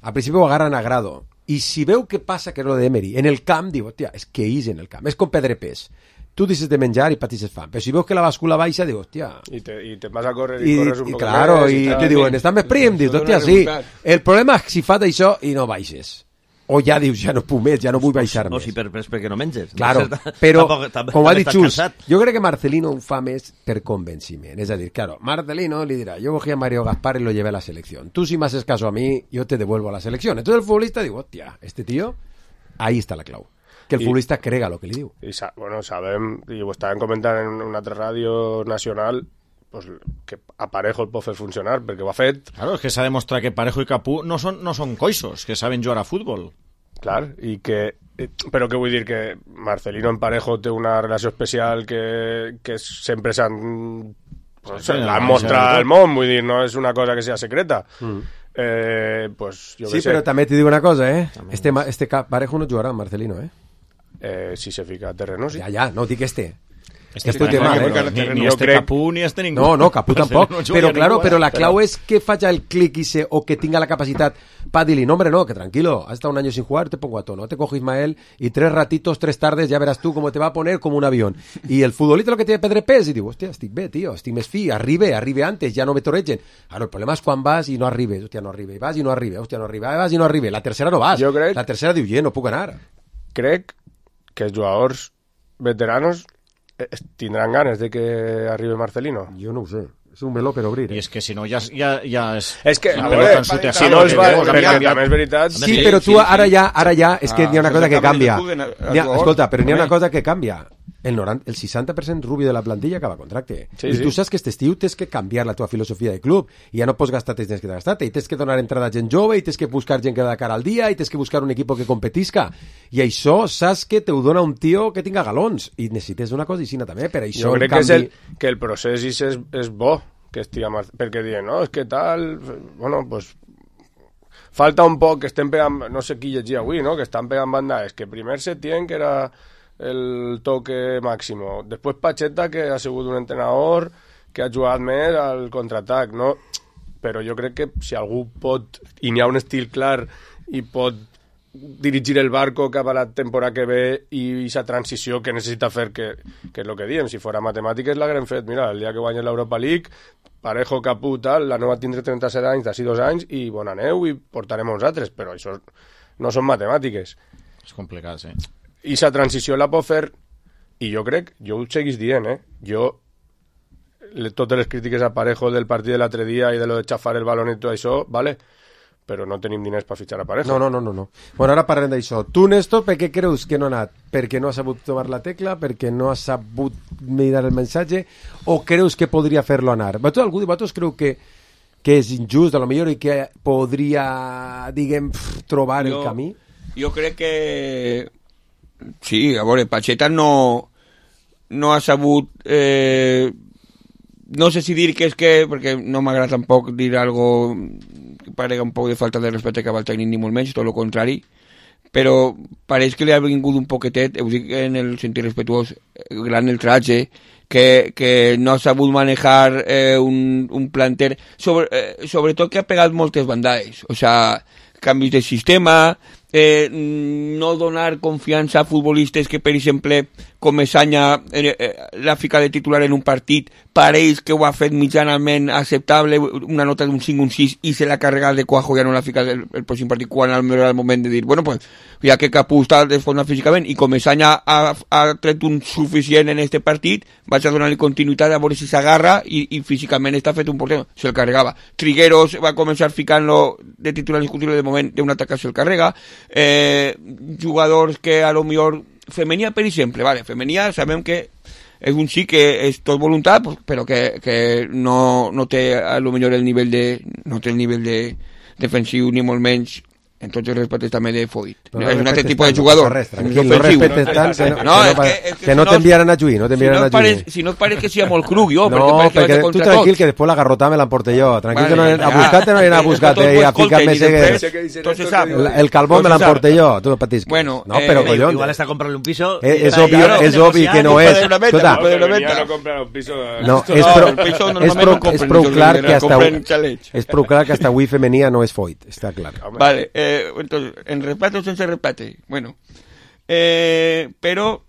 al principi ho agarran a grado i si veu que passa, que és lo de Emery, en el camp, diu, hòstia, és que és en el camp, és com perdre pes. Tu deixes de menjar i patisses fam, però si veus que la bàscula baixa, diu, hòstia... I te, i te vas a córrer i, I, corres un i poc claro, més, i tal. te diuen, estàs més prim, dius, Això hòstia, dona sí. resultat. El problema és si fas això i no baixes. O ja dius, ja no puc més, ja no vull baixar O més. si per, per, perquè no menges. Claro, Tampoc- però, tampoc- com ha també dit estàs Xus, cansat. jo crec que Marcelino ho fa més per convenciment. És a dir, claro, Marcelino li dirà, yo cogí a Mario Gaspar y lo llevé a la selección. Tú si me haces caso a mí, yo te devuelvo a la selección. Entonces el futbolista diu, hòstia, este tío, ahí está la clau. Que el I- futbolista crega lo que li diu. I sa bueno, sabem, i ho estàvem comentant en una altra ràdio nacional, pues, que a Parejo el pot fer funcionar, perquè ho ha fet, Claro, és que s'ha demostrat que Parejo i Capú no són, no són coixos, que saben jugar a futbol. clar, i que... eh, Però què vull dir? Que Marcelino en Parejo té una relació especial que, que sempre s'han no sé, l'han mostrat al món, vull dir, no és una cosa que sigui secreta. Mm. Eh, pues, jo sí, sé. però també t'hi dic una cosa, eh? Este, este Parejo no jugarà, Marcelino, eh? Eh, si se fica a terreno, sí. Ja, ja, no dic este. Este este té mal, eh? Ni, ni este crec... Capú ni este ningú. No, no, Capú tampoc. No però, claro, ningú, però la clau però... és que faci el clic ese, o que tenga la capacitat para dir-li, no, hombre, no, que tranquilo, has estado un año sin jugar, te pongo a tono, te cojo Ismael y tres ratitos, tres tardes, ya verás tú cómo te va a poner como un avión. Y el futbolista lo que tiene Pedre Pes, y digo, hostia, estic bé, tío, estic més fi, arribe, arribe antes, ya no me torregen. Claro, el problema és quan vas i no arribes, hostia, no arribe, vas i no arribe, hostia, no arribe, vas i no arribe. La tercera no vas, jo crec... la tercera diu, yeah, no puc anar. Crec que els jugadors veteranos tindran ganes de que arribi Marcelino. Jo no ho sé. És un meló per obrir. Eh? I és que si no ja, ja, ja és... És que, a veure, si no es va... Perquè també és veritat... Sí, però tu ara ja, ara ja, és que n'hi ha una cosa que canvia. Escolta, però n'hi ha una cosa que canvia. El, noranta, el seixanta per cent rubio de la plantilla acaba contracte. Sí, I sí. Tu saps que este estiu tens que canviar la teva filosofia de club i ja no pots gastar-te, tens que gastar-te i tens que donar entrada a gent jove i tens que buscar gent que va de cara al dia i tens que buscar un equip que competisca i això saps que te ho dona un tio que tinga galons i necessites una cosa així també, per això jo crec canvi... que, és el, que el procés és, és bo que estigui Mar... perquè diuen, no, és que tal bueno, pues falta un poc que estem pegant, no sé qui llegia avui, no? Que estan pegant bandades, que primer Setién que era el toque máximo. Després Pacheta, que ha sigut un entrenador que ha jugat més al contraatac, no? Però jo crec que si algú pot, i n'hi ha un estil clar, i pot dirigir el barco cap a la temporada que ve i aquesta transició que necessita fer, que, que és el que diem, si fora matemàtiques l'haguem fet. Mira, el dia que guanyi l'Europa League, Parejo, Capú, tal, la nova tindrà trenta-set anys, d'ací dos anys, i bona neu, i portarem uns altres, però això no són matemàtiques. És complicat, sí. I la transició la pot fer, i jo crec, jo ho seguís dient, eh? Jo, le, totes les crítiques a Parejo del partit de l'altre dia i de lo de xafar el balón i tot això, vale, però no tenim diners per fitxar a Parejo. No, no, no, no, no. Bueno, ara parlem d'això. Tu, Néstor, per què creus que no ha anat? Perquè no ha sabut tomar la tecla? Perquè no ha sabut mirar el missatge? O creus que podria fer-lo anar? Vosaltres, algú de vosaltres creu que que és injust, a lo millor, i que podria, diguem, trobar jo, el camí? Jo crec que sí, a veure, Pacheta no no ha sabut eh, no sé si dir que és que, perquè no m'agrada tampoc dir algo que parega un poc de falta de respecte cap al tècnic ni molt menys, tot el contrari, però pareix que li ha vingut un poquetet, ho dic en el sentit respetuós, gran el tratge, que, que no ha sabut manejar eh, un, un planter, sobre, eh, sobretot que ha pegat moltes bandades, o sea, canvis de sistema, eh, no donar confiança a futbolistes que, per exemple, com Esanya eh, eh, la fica de titular en un partit, pareix que ho ha fet mitjanament acceptable, una nota d'un cinc, un sis, i se l'ha carregat de cuajo, ja no la fica el, el pròxim partit, quan al millor era el moment de dir, bueno, pues, ja que Capú està desfondat físicament, i com Esanya ha, ha tret un suficient en este partit, vaig a donar-li continuïtat a veure si s'agarra, i, i físicament està fet un porter, se'l carregava. Trigueros va començar ficant-lo de titular indiscutible, de moment d'un atac se'l carrega, eh, jugadors que a lo millor Femenia, per exemple, vale, Femenia sabem que és un xic que és tot voluntat, però que, que no, no té a lo millor el nivell de no té el nivell de defensiu ni molt menys, en tots els respectes també de Foyt. No, no és un altre tipus de jugador. Res, tranquil, no respetes tant que no, no, que no, que, que no t'enviaran a Lluí, no t'enviaran a Lluí. Si no et pareix que sigui molt cruc, jo, no, perquè, perquè tu tranquil, que després la garrotà me l'emporte jo. Tranquil, que no a buscar-te no anirà a buscar-te i a ficar-me segues. El calvó me l'emporte jo, tu no patis. Bueno, no, però collons. Igual està comprant un piso. És obvi, és obvi que no és. Escolta, no, és prou clar que hasta és prou clar que hasta avui Femenia no és Foyt, està clar. Vale, eh, entonces, en repate o sense repate, bueno, eh, però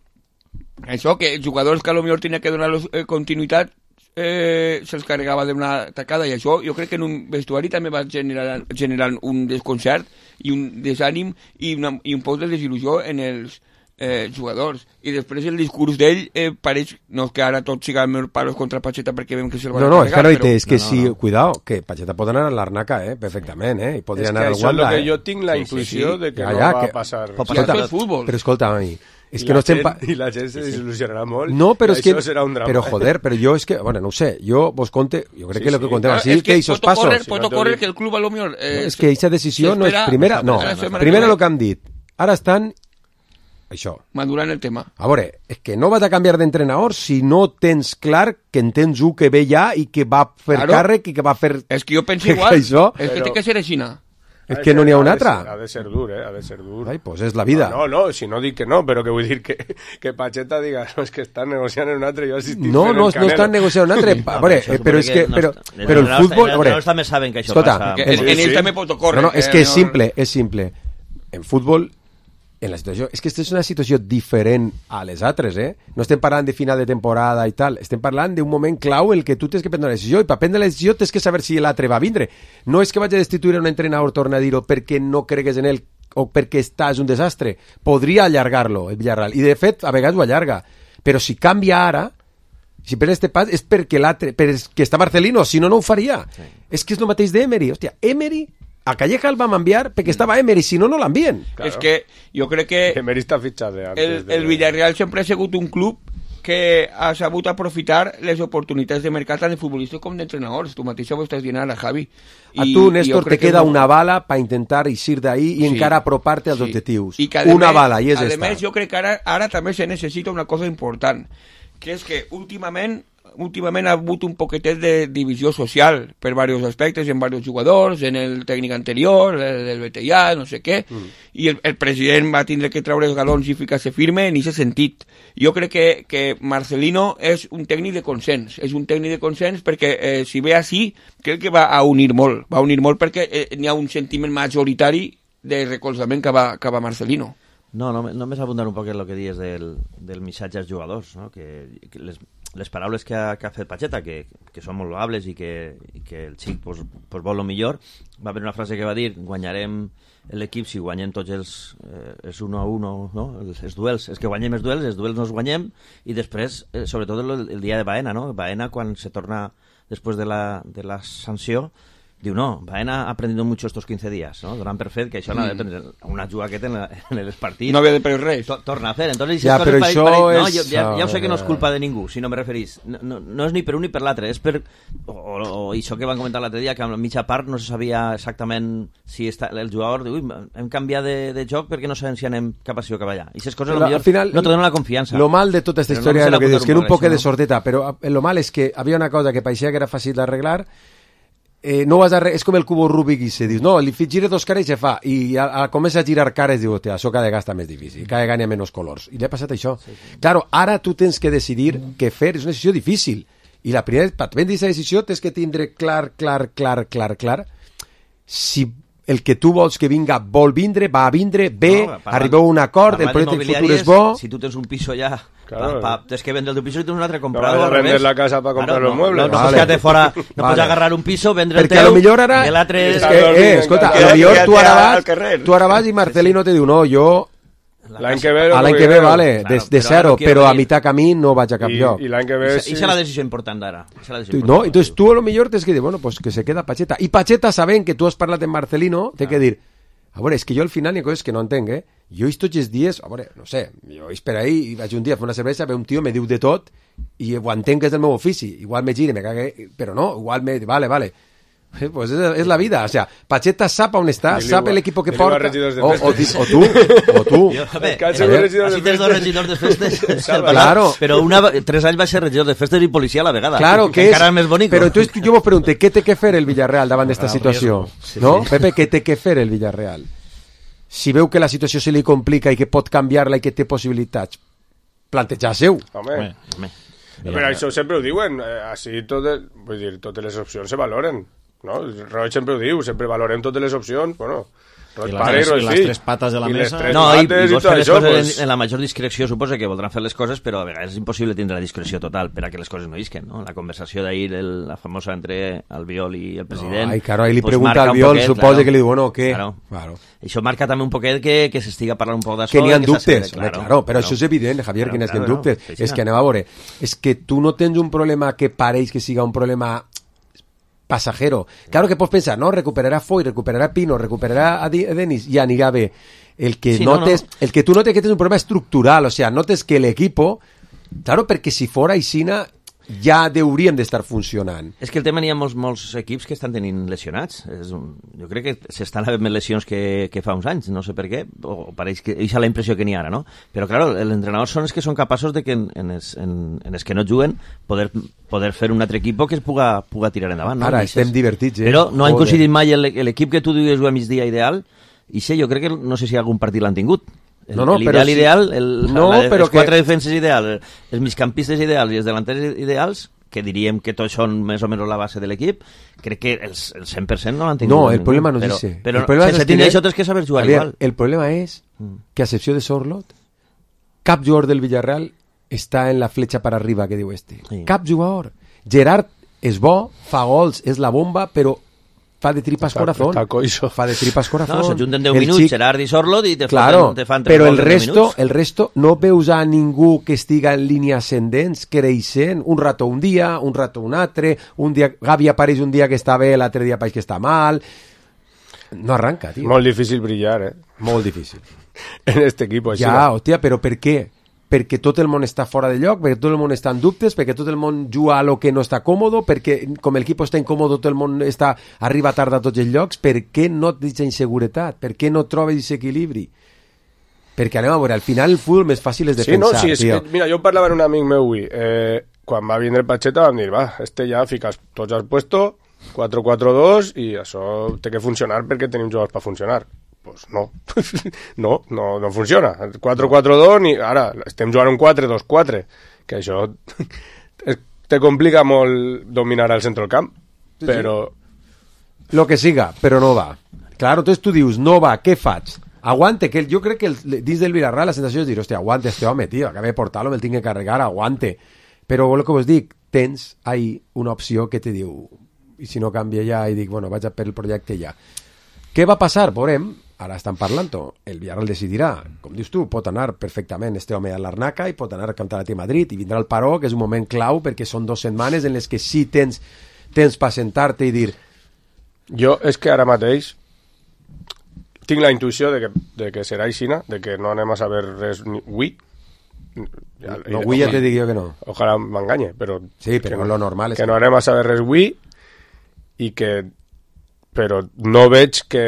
això, que els jugadors que a lo millor tenia que donar eh, continuïtat eh, se'ls carregava d'una tacada, i això jo crec que en un vestuari també va generar, generar un desconcert i un desànim i, una, i un poc de desil·lusió en els eh, jugadors, i després el discurs d'ell eh, pareix, no és que ara tots siguen meus palos contra Pacheta perquè veiem que se'l van no, no, a carregar, és que, no, però... és que no, no, si, no. cuidao, que Pacheta pot anar a l'Arnaca, eh, perfectament, eh, i podria anar al Wanda, és que això és eh. que jo tinc la intuïció sí, sí, sí. de que ja, ja, no va que... passar. Escolta, però escolta, a mi, és que no estem... Pa... I la gent se desil·lusionarà molt, no, però és que... serà un drama. Però joder, però jo és que, bueno, no ho sé, jo vos conte, jo crec sí, que el que contem així, es que, que esos pasos... Correr, pot ocórrer que el club a lo millor... Eh, és que aquesta decisió no és primera, no, primera el que han dit, ara estan això. Madurant el tema. A veure, és que no vas a canviar d'entrenador si no tens clar que en tens un que ve ja i que va fer Claro. càrrec i que va fer... És que jo penso igual. Això, És que Però- té que ser així. és que no n'hi ha un de altre. ser- Ha de ser dur, eh? Ha de ser dur. Ai, pues és la vida. No, no, si no dic que no, però que vull dir que, que Pacheta diga no, és que estan negociant en un altre, jo he assistit No, fent no, el no estan Canelo. negociant un altre. A veure, Això eh, però suposo és que... no Però, està- però el els futbol... A entrenadors veure, també saben que això escolta, passa. Que el- en, en sí. ell també pot ocórrer. No, no, és eh, que és simple, és simple. En futbol, en la situació... És que aquesta és una situació diferent a les altres, eh? No estem parlant de final de temporada i tal. Estem parlant d'un moment clau el que tu tens que prendre una decisió i per prendre la decisió tens que saber si l'altre va vindre. No és que vaig a destituir un entrenador, torna a dir-ho, perquè no cregues en ell o perquè estàs un desastre. Podria allargar-lo, el Villarreal. I, de fet, a vegades ho allarga. Però si canvia ara, si pren este pas, és perquè l'altre... perquè està Marcelino, si no, no ho faria. Sí. És que és el mateix d'Emery. Hòstia, Emery... A Calleja el vam enviar perquè estava Emery, si no, no l'envien. Claro. És que jo crec que Emery està fitxat de antes. el, de... el Villarreal sempre ha sigut un club que ha sabut aprofitar les oportunitats de mercat tant de futbolistes com d'entrenadors. Tu mateix ho estàs dient ara, Javi. A tu, I Néstor, jo te crec que queda no- una bala per intentar eixir d'ahí i Sí. encara apropar-te als Sí. objectius. I que, a Una més- bala, i és a esta. més, jo crec que ara, ara també se necessita una cosa important, que és que últimament últimament ha hagut un poquetet de divisió social per diversos aspectes, en diversos jugadors, en el tècnic anterior, el del B T I A, no sé què, mm. i el, el president va tindre que treure els galons i ficar-se firme en aquest sentit. Jo crec que, que Marcelino és un tècnic de consens, és un tècnic de consens perquè eh, si ve així, crec que va a unir molt, va a unir molt perquè eh, n'hi ha un sentiment majoritari de recolzament que va, que va Marcelino. No, no, només abundar un poc en el que dius del, del missatge als jugadors, no? que, que les, les paraules que ha, que ha fet Pacheta, que, que són molt loables i que, i que el xic pues, pues vol el millor, va haver una frase que va dir: guanyarem l'equip si guanyem tots els, eh, els uno a uno, no? els, els duels, és que guanyem els duels, els duels no els guanyem, i després, eh, sobretot el, el dia de Baena, no? Baena quan se torna després de la, de la sanció, diu, no, Baena ha aprendido mucho estos quince días, ¿no? Donant per fet que això no ha de prendre una jugaqueta en, la, en els partits. No havia de prendre res. To, torna a fer. Entonces, Ja, però això no, és- jo, ja, ja ho sé que no és culpa de ningú, si no me referís. No, no, no és ni per un ni per l'altre, és per... O, o, o això que van comentar l'altre dia, que a la mitja part no se sabia exactament si està, el jugador diu, ui, hem canviat de, de joc perquè no sabem si anem cap així o cap allà. I aquestes coses, Però, millor, al final, no te donen la confiança. Lo mal de tota aquesta Però història no és se lo que la dius, que era un apuntar poc de no? sordeta, però lo mal és que havia una cosa que pareixia que era fàcil d'arreglar, eh, no vas a re... és com el cubo Rubik i se dius, no, li gires dos cares i se fa, i a, a comença a girar cares i diu, hòstia, això cada vegada està més difícil, cada vegada hi ha menys colors, i li ha passat això. Sí, sí. Claro, ara tu tens que decidir què fer, és una decisió difícil, i la primera, per prendre aquesta decisió tens que tindre clar, clar, clar, clar, clar, si el que tu vols que vinga vol vindre, va a vindre, bé, No, parlant- arribeu a un acord, el parlant projecte futur d'immobiliàries, és bo... Si tu tens un piso ja, Claro. pa, pa, tens que vendre el teu piso i tens un altre No comprador. vas a al vender revés. la casa para comprar Claro, los no, muebles. No, no Vale. pots quedar-te fora, no Vale. pots agarrar un piso, vendre el Perquè teu, a lo millor ara... i l'altre... És Està que, dormint eh, en escolta, casa. a lo millor Quédate tu ara al vas, carrer. tu ara vas i Marcelino te diu, no, jo L'any que ve... a l'any que ve, vale, de, Claro, de però zero, ara no quiero però a venir. mitad camí no vaig a cap I, lloc. i l'any que ve... Esa es la decisión importante ahora. Esa es la decisión No, importante. entonces tú a lo mejor tienes que decir, bueno, pues que se queda Pacheta. Y Pacheta, saben que tú has parlat en Marcelino, té que dir, a veure, és que jo al final hi ha coses que no entenc, eh? Jo he tots els dies, a veure, no sé, jo per ahí i vaig un dia a fer una cervesa, ve un tio, me diu de tot, i ho entenc que és del meu ofici. Igual me gire, me cague, però no, igual me... Vale, vale. Eh, pues es, es la vida, o sea, Pacheta sap on està, Dile sap igual- el equipo que dile igual porta, regidors de o, o, festes. o tú, o tú. Jo, a veure, Que han eh, sigut regidors així de tens dos festes. regidors de festes. Salva. Claro. Però una, tres anys va ser regidor de festes i policia a la vegada. Claro, que és... Encara més bonic. Però entonces jo vos pregunto, què té que fer el Villarreal davant d'esta situació? Sí, no? sí. Pepe, què té que fer el Villarreal? Si veu que la situació se li complica i que pot canviar-la i que té possibilitats, plantejar-se-ho. Home, Home, Home. però això sempre ho diuen, eh, així totes, vull dir, totes les opcions se valoren, no? Roig sempre ho diu, sempre valorem totes les opcions, bueno, Roig I les pare tres- i Roig i les fill. tres pates de la I les mesa. tres No, i, pates i vols tot fer les això, coses pues, en, en la major discreció, suposa que voldran fer les coses, però a vegades és impossible tindre la discreció total per a que les coses no isquen, no? La conversació d'ahir, el- la famosa entre Albiol i el president... No, ai, claro, ahí li pues pregunta marca al un Albiol, poquet, suposa claro. que li diu, bueno, què? Claro. Claro. Això marca també un poquet que, que s'estiga parlant un poc d'això. Que n'hi ha i que dubtes, s'assegure, claro, claro, però això és evident, Javier, Claro, que n'hi ha claro, dubtes. no, sí, sí, és no. que anem a veure, és que tu no tens un problema que pareix que siga un problema pasajero. Claro que pots pensar, no, recuperarà Foy, recuperarà Pino, recuperarà a Di- a Denis, i anirà bé. El que Sí, no, notes, no. el que tú notes que tienes un problema estructural, o sea, notes que el equipo, claro, perquè si fora Isina, ja hauríem d'estar funcionant. És que el tema n'hi ha molts, molts equips que estan tenint lesionats. És un, jo crec que s'estan havent més lesions que, que fa uns anys, no sé per què, o pareix que és la impressió que n'hi ha ara, no? Però, clar, els entrenadors són els que són capaços de que en, en, els, en, en els que no juguen poder, poder fer un altre equip que es puga, puga tirar endavant. No? Ara estem divertits, eh? Però no han coincidit mai l'equip que tu dius a migdia ideal, i sé, jo crec que no sé si algun partit l'han tingut. El, no, no, l'ideal si... ideal, el, no, la, però els quatre que... defenses ideals, els migcampistes ideals i els delanters ideals, que diríem que tots són més o menys la base de l'equip, crec que el, el cent per cent no l'han tingut. No, el ningú, problema no però, és ese. Però el problema sense tenir això tens que saber jugar Javier, igual. El problema és que, a excepció de Sorlot, cap jugador del Villarreal està en la fletxa per arriba, que diu este. Sí. Cap jugador. Gerard és bo, fa gols, és la bomba, però fa de tripas está, corazón. Está coiso. Fa de tripas corazón. No, s'ajunten deu minuts, xic... Gerard i Sorlot, i te, claro, fan, te fan tres però el gols en resto, minuts. el resto no veus a ningú que estiga en línia ascendents, creixent, un rato un dia, un rato un altre, un dia, Gavi apareix un dia que està bé, l'altre dia apareix que està mal. No arranca, tio. Molt difícil brillar, eh? Molt difícil. En este equipo. Ja, va. hòstia, però per què? Perquè tot el món està fora de lloc, perquè tot el món està en dubtes, perquè tot el món juga a lo que no està còmodo, perquè com el equip està incòmodo, tot el món està, arriba tard a tots els llocs. Per què no et deixa inseguretat? Per què no trobes aquest equilibri? Perquè anem a veure, al final el futbol més fàcil és sí, defensar, no, sí, és tio. que, mira, jo parlava amb un amic meu avui, eh, quan va vindre Pacheta vam dir, va, este ja fiques tots al puesto, quatre quatre dos, i això té que funcionar perquè tenim jugadors per funcionar. Pues no, no, no, no funciona. quatre quatre dos, ni ara estem jugant un quatre dos quatre, que això te complica molt dominar al centre del camp, sí, però... Sí. Lo que siga, però no va. Claro, entonces tu dius, no va, què faig? Aguante, que el, jo crec que el, dins del Villarreal la sensació és dir, hòstia, aguante este home, tio, acabé de portar-lo, me'l tinc que carregar, aguante. Però el que vos dic, tens ahí una opció que te diu, i si no canvia ja, i dic, bueno, vaig a per el projecte ja. Què va passar? Veurem. Ara estan parlant, el Villarreal decidirà. Com dius tu, pot anar perfectament este home a l'Arnaca i pot anar a cantar a Madrid i vindrà el paró, que és un moment clau perquè són dues setmanes en les que sí tens temps per sentar-te i dir... Jo és que ara mateix tinc la intuïció de que, de que serà aixina, de que no anem a saber res ni avui. Ja, no, avui ja te dic jo que no. Ojalà m'enganye, però... Sí, però no, lo normal és... Que no anem a saber res avui i que... Però no veig que,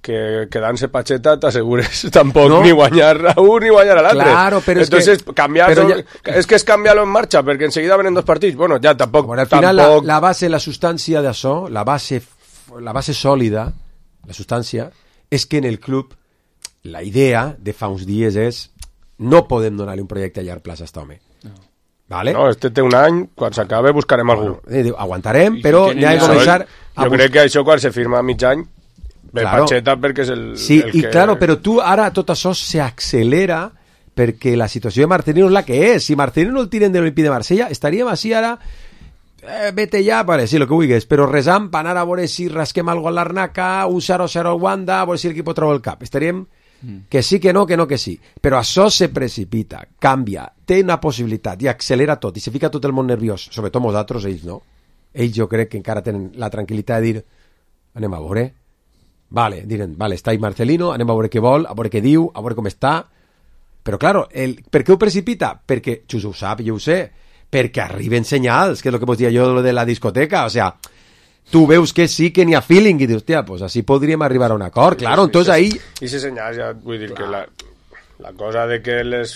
que quedant-se Pacheta t'assegures tampoc no. ni guanyar a un ni guanyar a l'altre. Claro, però Entonces, és que... Cambiar, però ja... És que és canviar-lo en marxa, perquè enseguida venen dos partits. Bueno, ja, tampoc... Bueno, al final tampoc... la, la base, la substància d'això, la base, la base sòlida, la substància, és que en el club la idea de fa uns dies és no podem donar-li un projecte a llarg plaç a aquest home. No. Vale? No, este té un any, quan s'acabe buscarem bueno, algú. Eh, aguantarem, però n'hi ha de començar... Jo crec que això quan se firma a mig any ve claro. Pacheta perquè és el, sí, el que... Sí, i claro, però tu ara tot això s'accelera perquè la situació de Marcelino és la que és. Si Marcelino el tiren de l'Olímpic de Marsella, estaríem així ara... Eh, vete ja, pare, sí, el que vulguis, però resant per anar a veure si rasquem algo a l'Arnaca, un zero zero al Wanda, a veure si l'equip troba el cap. Estaríem... Que sí, que no, que no, que sí. Però això se precipita, canvia, té una possibilitat i accelera tot, i se fica tot el món nerviós, sobretot nosaltres, ells no. Ells jo crec que encara tenen la tranquil·litat de dir anem a veure, vale, diren, vale, està ahí Marcelino, anem a veure què vol, a veure què diu, a veure com està. Però, claro, el, per què ho precipita? Perquè, Xus ho sap, jo ho sé, perquè arriben senyals, que és el que vos dia jo de la discoteca, o sea... Tu veus que sí, que n'hi ha feeling i dius, hòstia, pues així podríem arribar a un acord, sí, claro, entonces ahí... I si senyals, ja vull dir que la, la cosa de que les...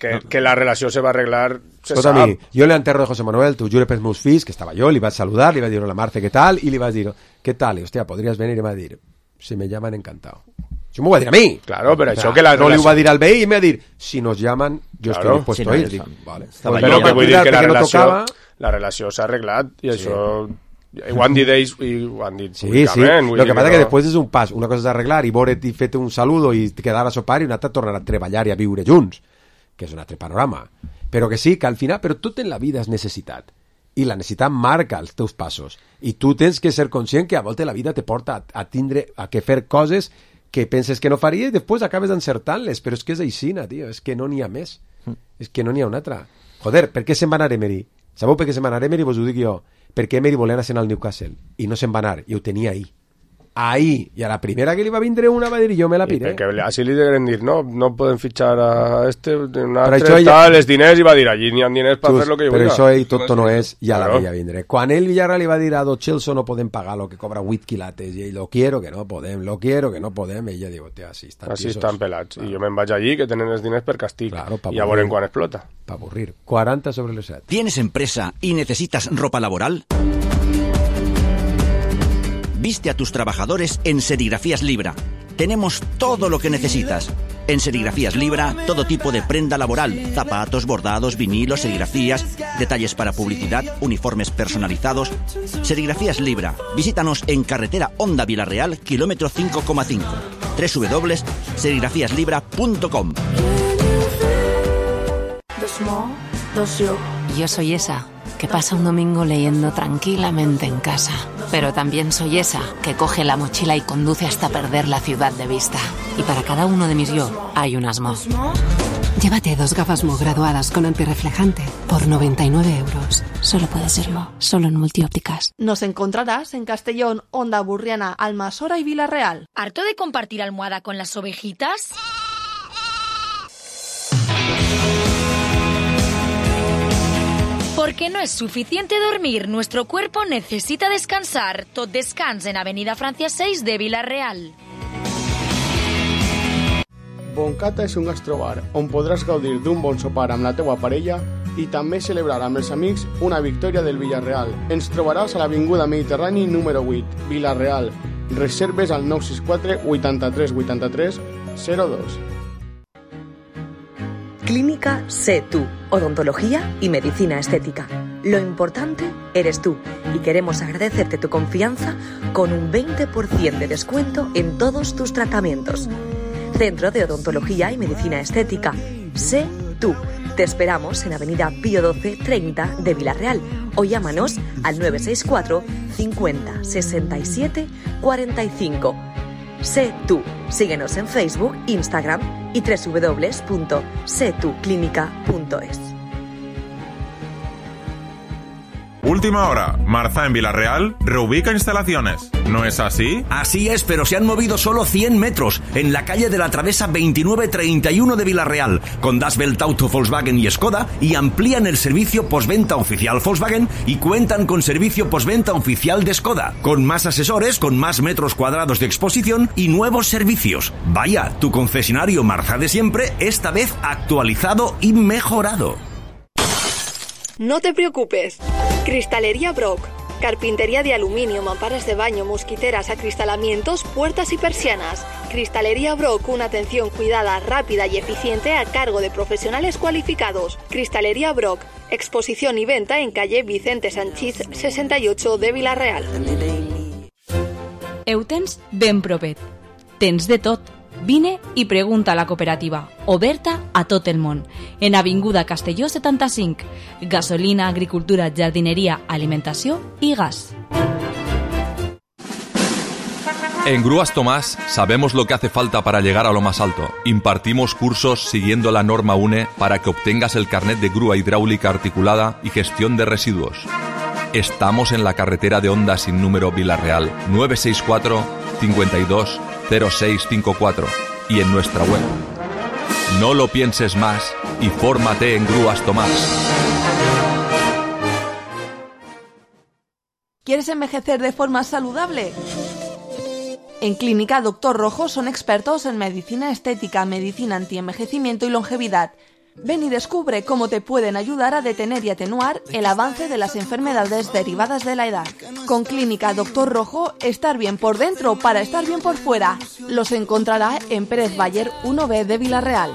Que, que la relació se va arreglar se Escolta, sap. Mi, jo l'enterro de José Manuel, t'ho jure pels meus fills, que estava jo, li vaig saludar, li vaig dir, hola Marce, què tal? I li vaig dir, què tal? I, hòstia, podries venir? I em va dir, si me llaman, encantado. Això m'ho va dir a mi. Claro, però això Però, que la no relació... li ho va dir al veí i em va dir, si nos llaman, jo Claro. estoy dispuesto Sí, no, a ir. ja Dic, està. vale. Estava Pues, Però jo, que vull dir que la no relació, tocava... la relació s'ha arreglat i això... Ho han dit ells i ho han dit Sí, sí, públicament. lo que passa no... que després és un pas, una cosa és arreglar i veure't i fer-te un saludo i quedar a sopar i una altra tornar a treballar i a viure junts, que és un altre panorama. Però que sí, que al final, però tot en la vida és necessitat. I la necessitat marca els teus passos. I tu tens que ser conscient que a voltes la vida te porta a, a tindre, a que fer coses que penses que no faries i després acabes encertant-les. Però és que és aixina, tio, és que no n'hi ha més. Mm. És que no n'hi ha una altra. Joder, per què se'n va anar Emery? Sabeu per què se'n va anar Emery? Vos ho dic jo. Perquè Emery volia anar al Newcastle i no se'n va anar, i ho tenia ahí. ahí, i a la primera que li va vindre una va dir jo me la I piré. perquè així li degueren dir, no, no podem fitxar a este, un Però altre, això ella- tal, els diners, i va dir, allí n'hi ha diners per fer lo que jo però vulgui. això ell tot no és, ja la Claro. veia vindre. Quan ell Villarreal li va dir a Lo Celso no podem pagar lo que cobra vuit quilates, i ell, lo quiero que no podem, lo quiero que no podem, i ella diu, hòstia, així estan Així tisos. estan pelats. I jo me'n vaig allí, que tenen els diners per castig. Claro, pa I ja avorrir. veurem quan explota. Pa avorrir. quaranta sobre les set. ¿Tienes empresa y necesitas ropa laboral? Viste a tus trabajadores en Serigrafías Libra. Tenemos todo lo que necesitas. En Serigrafías Libra, todo tipo de prenda laboral, zapatos, bordados, vinilos, serigrafías, detalles para publicidad, uniformes personalizados. Serigrafías Libra. Visítanos en carretera Honda Vilarreal, kilómetro cinco coma cinco. doble u doble u doble u punto serigrafías libra punto com. Yo soy esa que pasa un domingo leyendo tranquilamente en casa. Pero también soy esa que coge la mochila y conduce hasta perder la ciudad de vista. Y para cada uno de mis yo hay un Asmo. Llévate dos gafas Mo graduadas con antirreflejante por noventa y nueve euros. Solo puede ser Mo, solo en Multiópticas. Nos encontrarás en Castellón, Onda Burriana, Almasora y Villarreal. ¿Harto de compartir almohada con las ovejitas? Porque no es suficiente dormir, nuestro cuerpo necesita descansar. Tot Descans en Avenida Francia seis de Villarreal. Boncata és un gastrobar on podràs gaudir d'un bon sopar amb la teua parella i també celebrar amb els amics una victòria del Villarreal. Ens trobaràs a l'Avinguda Mediterrani número vuit, Villarreal. Reserves al nou sis quatre vuitanta-tres vuitanta-tres zero dos. Clínica Sé Tú, odontología y medicina estética. Lo importante eres tú y queremos agradecerte tu confianza con un veinte por ciento de descuento en todos tus tratamientos. Centro de Odontología y Medicina Estética. Sé Tú. Te esperamos en Avenida Pío doce treinta de Villarreal o llámanos al nueve seis cuatro cincuenta sesenta y siete cuarenta y cinco. Sé Tú. Síguenos en Facebook, Instagram y doble u doble u doble u punto sé tú clínica punto es. Última hora. Marza en Villarreal reubica instalaciones. ¿No es así? Así es, pero se han movido solo cien metros en la calle de la Travesa veintinueve treinta y uno de Villarreal, con Das Welt Auto Volkswagen y Skoda, y amplían el servicio postventa oficial Volkswagen y cuentan con servicio postventa oficial de Skoda, con más asesores, con más metros cuadrados de exposición y nuevos servicios. Vaya, tu concesionario Marza de siempre, esta vez actualizado y mejorado. No te preocupes. Cristalería Brock. Carpintería de aluminio, mamparas de baño, mosquiteras, acristalamientos, puertas y persianas. Cristalería Brock, una atención cuidada, rápida y eficiente a cargo de profesionales cualificados. Cristalería Brock. Exposición y venta en calle Vicente Sanchís sesenta y ocho de Villarreal. Eutens ben propet. Tens de tot. Vine i pregunta a la cooperativa, oberta a tot el món, en Avinguda Castelló setanta-cinc. Gasolina, agricultura, jardineria, alimentació i gas. En Grúas Tomás sabemos lo que hace falta para llegar a lo más alto. Impartimos cursos siguiendo la norma U N E para que obtengas el carnet de grúa hidráulica articulada y gestión de residuos. Estamos en la carretera de Honda sin número Villarreal, nueve seis cuatro cincuenta y dos cero seis cinco cuatro y en nuestra web. No lo pienses más y fórmate en Grúas Tomás. ¿Quieres envejecer de forma saludable? En Clínica Doctor Rojo son expertos en medicina estética, medicina antienvejecimiento y longevidad. Ven y descubre cómo te pueden ayudar a detener y atenuar el avance de las enfermedades derivadas de la edad. Con Clínica Doctor Rojo, estar bien por dentro para estar bien por fuera. Los encontrará en Pérez Bayer uno B de Villarreal.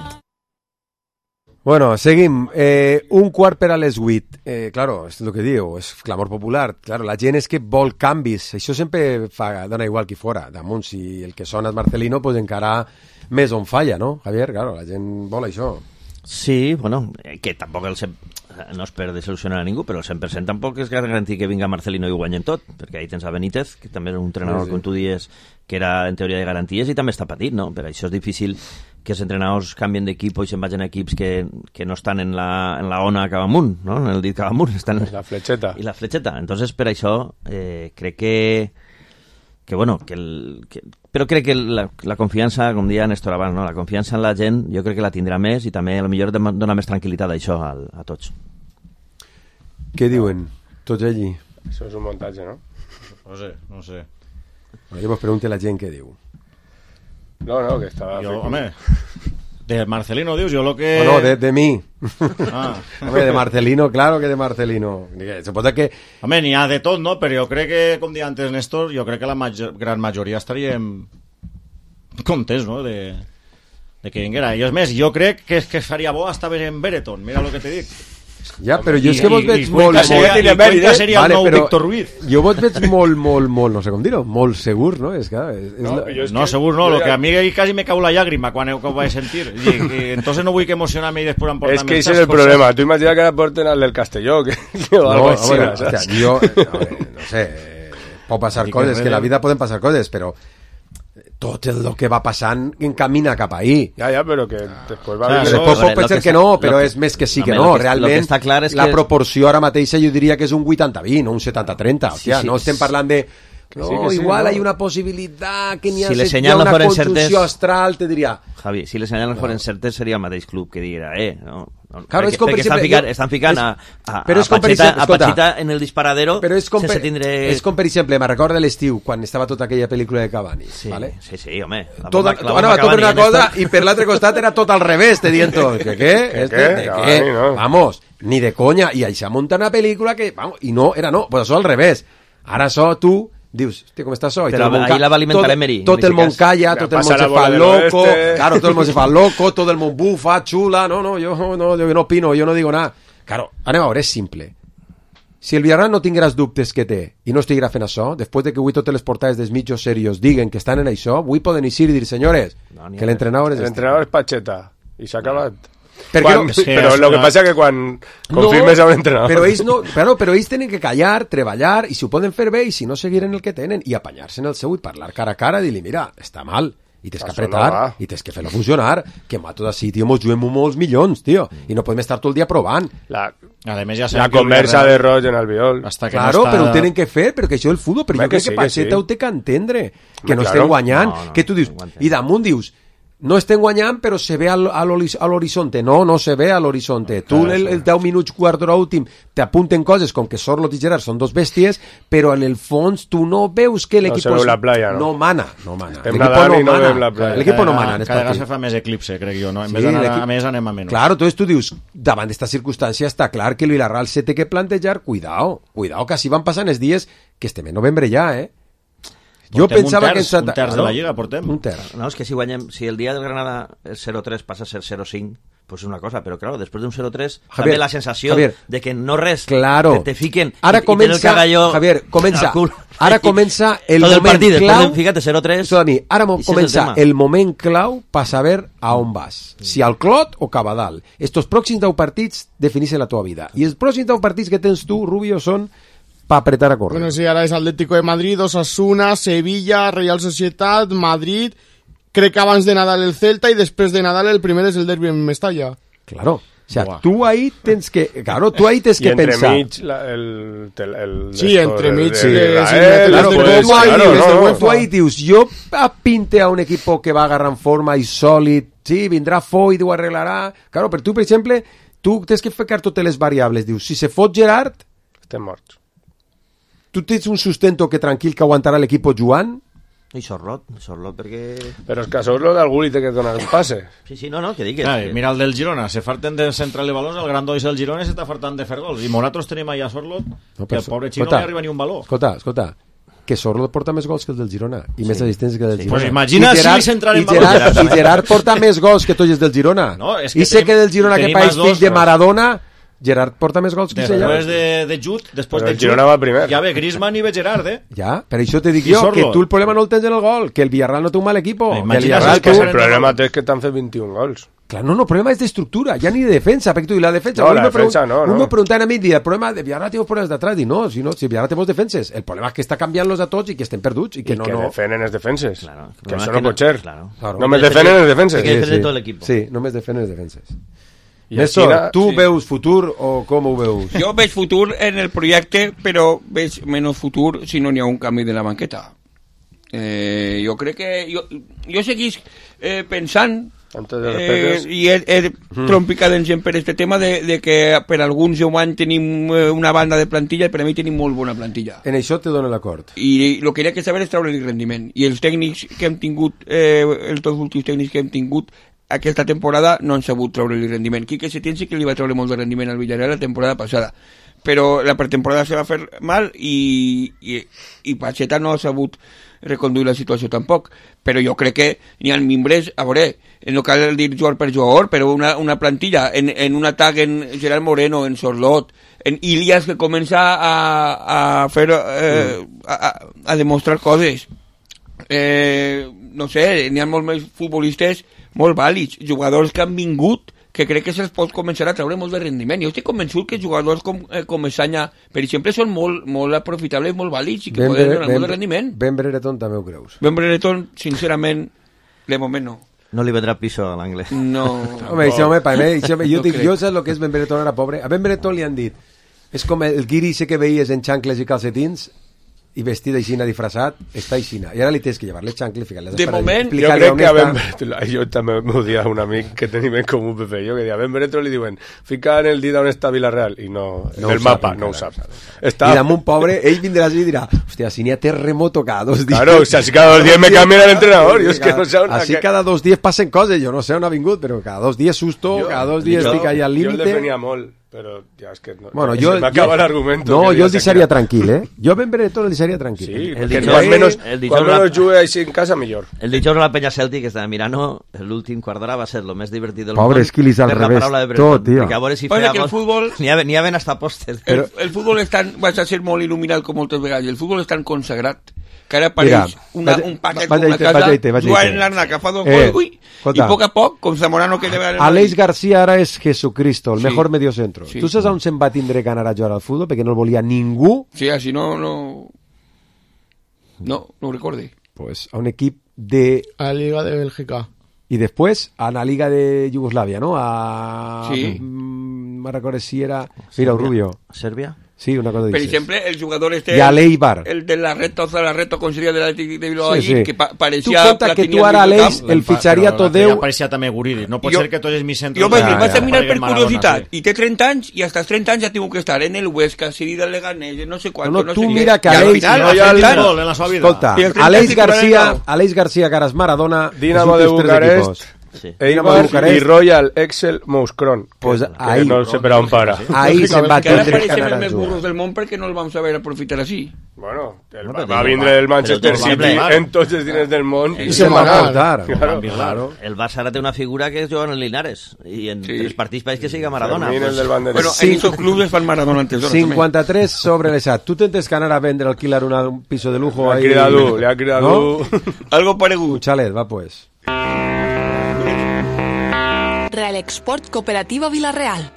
Bueno, seguim. Eh, un quart per a les vuit. Eh, claro, és el que diu, és clamor popular. Claro, la gent és que vol canvis. Això sempre fa, dona igual qui fora. Damunt, si el que sona és Marcelino, pues encara més on falla, no, Javier? Claro, la gent vol això. Sí, bueno, que tampoc el cent... no es per desil·lusionar a ningú, però el cent per cent tampoc és garantir que vinga Marcelino i ho guanyen tot, perquè ahí tens a Benítez, que també és un entrenador, sí, sí. Com tu dies, que era en teoria de garanties i també està patit, no? Per això és difícil que els entrenadors canvien d'equip i se'n vagin a equips que, que no estan en la, en la ona cap amunt, no? En el dit cap amunt. Estan... La fletxeta. I la fletxeta. Entonces, per això, eh, crec que que bueno, que el, que, però crec que la, la confiança, com deia Néstor abans, no? La confiança en la gent jo crec que la tindrà més i també potser dona més tranquil·litat això a, a tots. Què diuen tots allí? Això és un muntatge, no? No sé, no sé. Bueno, jo vos pregunto a la gent què diu. No, no, que estava... Jo, home, de Marcelino dius, jo lo que... No, no, de, de mi. Ah. Home, de Marcelino, claro que de Marcelino. Suposa que... Home, n'hi ha de tot, no? Però jo crec que, com deia antes Néstor, jo crec que la major, gran majoria estaríem contents, no?, de, de que vinguera. I és més, jo crec que, que faria bo hasta ver en Bereton, mira lo que te dic. Ja, però jo és que vos veig i, molt... I seria, i Cuenca seria vale, el nou però Víctor Ruiz. Jo vos veig molt, molt, molt, no sé com dir-ho, molt segur, no? És que, és, és No, la... es no que, segur no, lo que a mi casi me cau la llàgrima quan ho vaig sentir. I, i, entonces no vull que emocionar-me i després emportar-me... Es que ese es el cosas. Problema. Tú imagina que la porten al del Castelló, que, que o algo no, así. Bueno, o sea, yo, eh, no sé, eh, pot passar coses, que la vida poden passar coses, però tot el que va passant encamina cap ahí. Ja, ja, però que després va... O sea, després pot pensar que no, però és més que sí que no. Realment, la proporció ara mateixa jo diria que és un vuitanta vint, no un setanta trenta. O sea, no estem parlant de... No, sí, sí, igual no. Hay una possibilitat que n'hi ha, si ha una conjunció astral, te diria... Javi, si les senyals no foren certes seria el mateix club que diguera, eh, no? no claro, perquè, és com per estan exemple... ficant, jo, estan ficant a, a, però és a, Pacheta, exemple, a Pacheta en el disparadero però és com sense per, tindre... És com, per exemple, me recorda l'estiu, quan estava tota aquella pel·lícula de Cavani, sí, ¿vale? Sí, sí, home. Tot, anava tot per una cosa i per l'altre costat era tot al revés, te dient tot. ¿Qué, qué? Este, ¿Qué? ¿de Cavani, qué? No. Vamos, ni de coña. I això munta una pel·lícula que... Vamos, i no, era no, pues això al revés. Ara això tu... Dius, hòstia, com està això? Però ahí la va alimentar Emery. Tot el món calla, tot el món se fa loco, claro, tot el món se fa loco, tot el món bufa, xula, no, no, jo no, jo no opino, jo no digo nada. Claro, anem a veure, és simple. Si el Villarreal no tingueràs dubtes que té i no estiguera fent això, després de que avui totes les portades dels mitjos serios diguen que estan en això, avui poden eixir i dir, senyores, no, que l'entrenador és... L'entrenador és Pacheta, i s'ha acabat. Quan, no, però el que passa que quan confirmes no, a un entrenador... Però ells, no, però, però ells tenen que callar, treballar, i si ho poden fer bé, i si no seguiren el que tenen, i apanyar-se en el seu i parlar cara a cara, i dir-li, mira, està mal, i tens que apretar, no i tens que fer-lo funcionar, que amb tot així, tio, mos juguem molts milions, tio, i no podem estar tot el dia provant. La, Ademés, ja la conversa de Roig en Albiol. Claro, no està... però ho tenen que fer, però que això és el futbol, però jo crec que, que Pacheta sí. Ho té que entendre, que no, no estem guanyant, no, no, que tu dius, i damunt dius, no estem guanyant, però se ve a l'horizonte. No, no se ve a l'horizonte. Tu el, el deu minuts, quart d'hora últim, t'apunten coses com que Sorloth i Gerard són dos bèsties, però en el fons tu no veus que l'equip no, la playa, no? no mana. No mana. L'equip no, no mana. L'equip no mana. Cada vegada se fa més eclipse, crec jo, no? En sí, vez d'anar a més, anem a menys. Claro, entonces tu dius, davant d'esta circumstància està clar que el Villarreal se té que plantejar, cuidao, cuidao, que així van passant els dies que estem en novembre ja, eh? Jo pensava que... Un terç de la Lliga portem. Un terç. No, és que si guanyem... Si el dia del Granada el zero tres passa a ser zero cinc, pues és una cosa, però claro, després d'un zero tres també la sensació Javier, de que no res claro. te, te fiquen ara i, comença, i el cagalló Javier, comença, ara comença el Tot moment el partit, clau fíjate, zero tres a mi, ara comença el, el moment clau per saber a on vas, si al Clot o cap a dalt. Estos pròxims deu partits defineixen la teva vida, i els pròxims deu partits que tens tu, Rubio, són para apretar a correr. Bueno, sí, ahora es Atlético de Madrid, Osasuna, Sevilla, Real Sociedad, Madrid, crec que abans de Nadal el Celta y después de Nadal el primer es el derbi en Mestalla. Claro, o sea, Buah. tú ahí tens que, claro, tú ahí tens que pensar. Y entre mig, la, el, el, el... Sí, entre mig, de, sí, de, de, sí, de, claro, pues, pues, tú ahí, claro, dius, no, tú ahí dius, yo pinte a un equipo que va a agarrar en forma y sòlid, sí, vindrà Foy, ho arreglarà, claro, però tu, per exemple, tu tens que ficar totes les variables, dius, si se fot Gerard, estem morts. Tu tens un sustento que tranquil que aguantarà l'equip jugant? I Sorloth, Sorloth perquè... Però és que a Sorloth algú li té que donar un passe. Sí, sí, no, no, que digues. Clar, que... mira el del Girona, se farten de centrar els balons, el gran dois del Girona s'està fartant de fer gols. I nosaltres tenim allà a Sorloth, no, que el pobre xino no li arriba ni un baló. Escolta, escolta, que Sorloth porta més gols que el del Girona i sí. més assistències que el del sí. Girona. Pues imagina I Gerard, si centrar en baló. Gerard, I Gerard porta més gols que tots els del Girona. No, és que I sé tenim, que del Girona que país fill de Maradona... Gerard porta més gols que ell. Després de, de Jude, després però de Jude, va primer. Ja ve Griezmann i ve Gerard, eh? Ja, per això te dic jo que tu el problema no el tens en el gol, que el Villarreal no té un mal equipo. Eh, que el, Villarreal, tu... el problema és que t'han fet vint-i-un gols. Clar, no, no, el problema és d'estructura, ja ni de defensa, perquè tu, i la defensa... No, la defensa no, no. Un me preguntant a mi, el problema de Villarreal té problemes d'atrás, i no, si no, si Villarreal té molts defenses, el problema és que està canviant-los a tots i que estem perduts, i que I no... que no... defenen els defenses, claro, que això no pot ser. Claro. Claro. Només defenen els defenses. Que defenen sí, tot l'equip. Sí, només defenen els defenses. I Néstor, Xina, tu sí. veus futur o com ho veus? Jo veig futur en el projecte, però veig menys futur si no n'hi ha un canvi de la banqueta. Eh, jo crec que... Jo, jo seguís eh, pensant... Eh, i he, he mm. trompicadent sempre per este tema de, de que per alguns deu anys tenim una banda de plantilla i per a mi tenim molt bona plantilla. En això te dono l'acord. I el que hi ha que saber és treure el rendiment. I els tècnics que hem tingut, eh, els dos últims tècnics que hem tingut aquesta temporada no han sabut treure el rendiment. Quique Setién sí que li va treure molt de rendiment al Villarreal la temporada passada, però la pretemporada se va fer mal i, i, i Pacheta no ha sabut reconduir la situació tampoc, però jo crec que n'hi ha mimbres, a veure, no cal dir jugador per jugador, però una, una plantilla en, en un atac en Gerard Moreno, en Sorlot, en Ilias que comença a, a fer eh, a, a demostrar coses, eh, no sé, n'hi ha molts més futbolistes molt vàlids, jugadors que han vingut que crec que se'ls pot començar a treure molt de rendiment. Jo estic convençut que jugadors com, eh, com Esanya, per exemple, són molt, molt aprofitables, molt vàlids i que ben poden donar molt de rendiment. Ben Brereton també ho creus? Ben Brereton, sincerament, de moment no. No li vendrà piso a l'anglès. No. Home, això, home, per mi, això, jo, dic, jo sé el que és Ben Brereton, era pobre. A Ben Brereton li han dit, és com el guiri ese que veies en xancles i calcetins, i vestit aixina, disfressat, està aixina. I ara li tens que llevar les xancles, ficar-les... De moment, jo crec que a Ben Brereton, jo també m'ho dia un amic que tenim en comú, Pepe, jo, que dia, a Ben Brereton li diuen, fica en el dit on està Villarreal, i no, en el mapa, no ho sap. Està... I damunt, pobre, ell vindrà així i dirà, hòstia, si n'hi ha terremoto cada dos dies... Claro, o sea, si cada dos dies me canvia l'entrenador, jo és que no sé on... Així cada dos dies passen coses, jo no sé on ha vingut, però cada dos dies susto, cada dos dies estic allà al límite... Jo el defenia molt. Però ja és que no, bueno, ja jo, se m'acaba l'argument. No, jo el deixaria tranquil, eh? Jo Ben Brereton el deixaria tranquil. Sí, el que quan menos, quan menos jugue així en casa, millor. El dijous a la penya Cèltic estava mirant, l'últim quart d'hora va ser el més divertit del Pobre món. Esquilis al revés, tot, tio. A veure si feia gol. El futbol... N'hi ha ben hasta postes. El, el futbol és tan... Vas a ser molt il·luminat com moltes vegades. El futbol és tan consagrat que ara apareix una, un paquet com una casa, jugant en l'Arna, que fa dos gols, ui, i a poc a poc, com Zamorano que debe... Aleix García ara és Jesucristo, el sí. mejor mediocentro. Sí. Tu saps on se'n va tindre que anar a jugar al futbol? Perquè no el volia ningú. Sí, així no... No, no, no ho recorde. Pues a un equip de... A la Liga de Bélgica. Y después a la Liga de Yugoslavia, ¿no? A... Sí. Me recuerdo si era... Mira, Rubio. ¿Serbia? Sí, una cosa Per dices. exemple, el jugador este... Y a Leibar. El de la Reta, o sea, la Reta conseguiria de la de Bilbao Sí, allí, sí. que pa parecía... Tu compta que tu ara, Aleix, el fitxaria tot Déu... Apareixia també Guridi. No pot Jo- ser que tots els mis centres... Jo vaig, vaig a mirar per Maradona, curiositat, sí. i té trenta anys, i hasta els trenta anys ja tinc que estar en el Huesca, seguida del Leganés, no sé quant, No, no, no, tu sé què. mira que I al Aleix... final, no, als ja trenta el- anys- gol en la seva vida. Escolta, I el trenta Aleix titular García, del nou. Aleix García, caras Maradona... Dinamo els de últims tres Bucarest, equipos. Sí. Dinamo de Eibar Bucarest. i Royal Excel Mouscron. Pues que, ahí- que no sé per on para. Ahí se'n va Que ara tindre que apareixen anar els a més jugar. burros del món perquè no el vam saber aprofitar així. Bueno, el, No, va, però va diu, vindre va, el Manchester però City doble, en tots els diners del món I se'n va apuntar. Claro. Claro. El Barça ara té una figura que es juga en el Linares i en Sí. tres partits pareix que siga Maradona. Fermín, el del banderín. Bueno, en esos clubes fan Maradona antes d'hora. cinquanta-tres sobre l'esat. Tu tens que anar a vendre, alquilar una, un piso de lujo Le ha ahí. criado, le ha criado. ¿No? Algo paregut. Un chalet, va pues. Real Export Cooperativa Villarreal.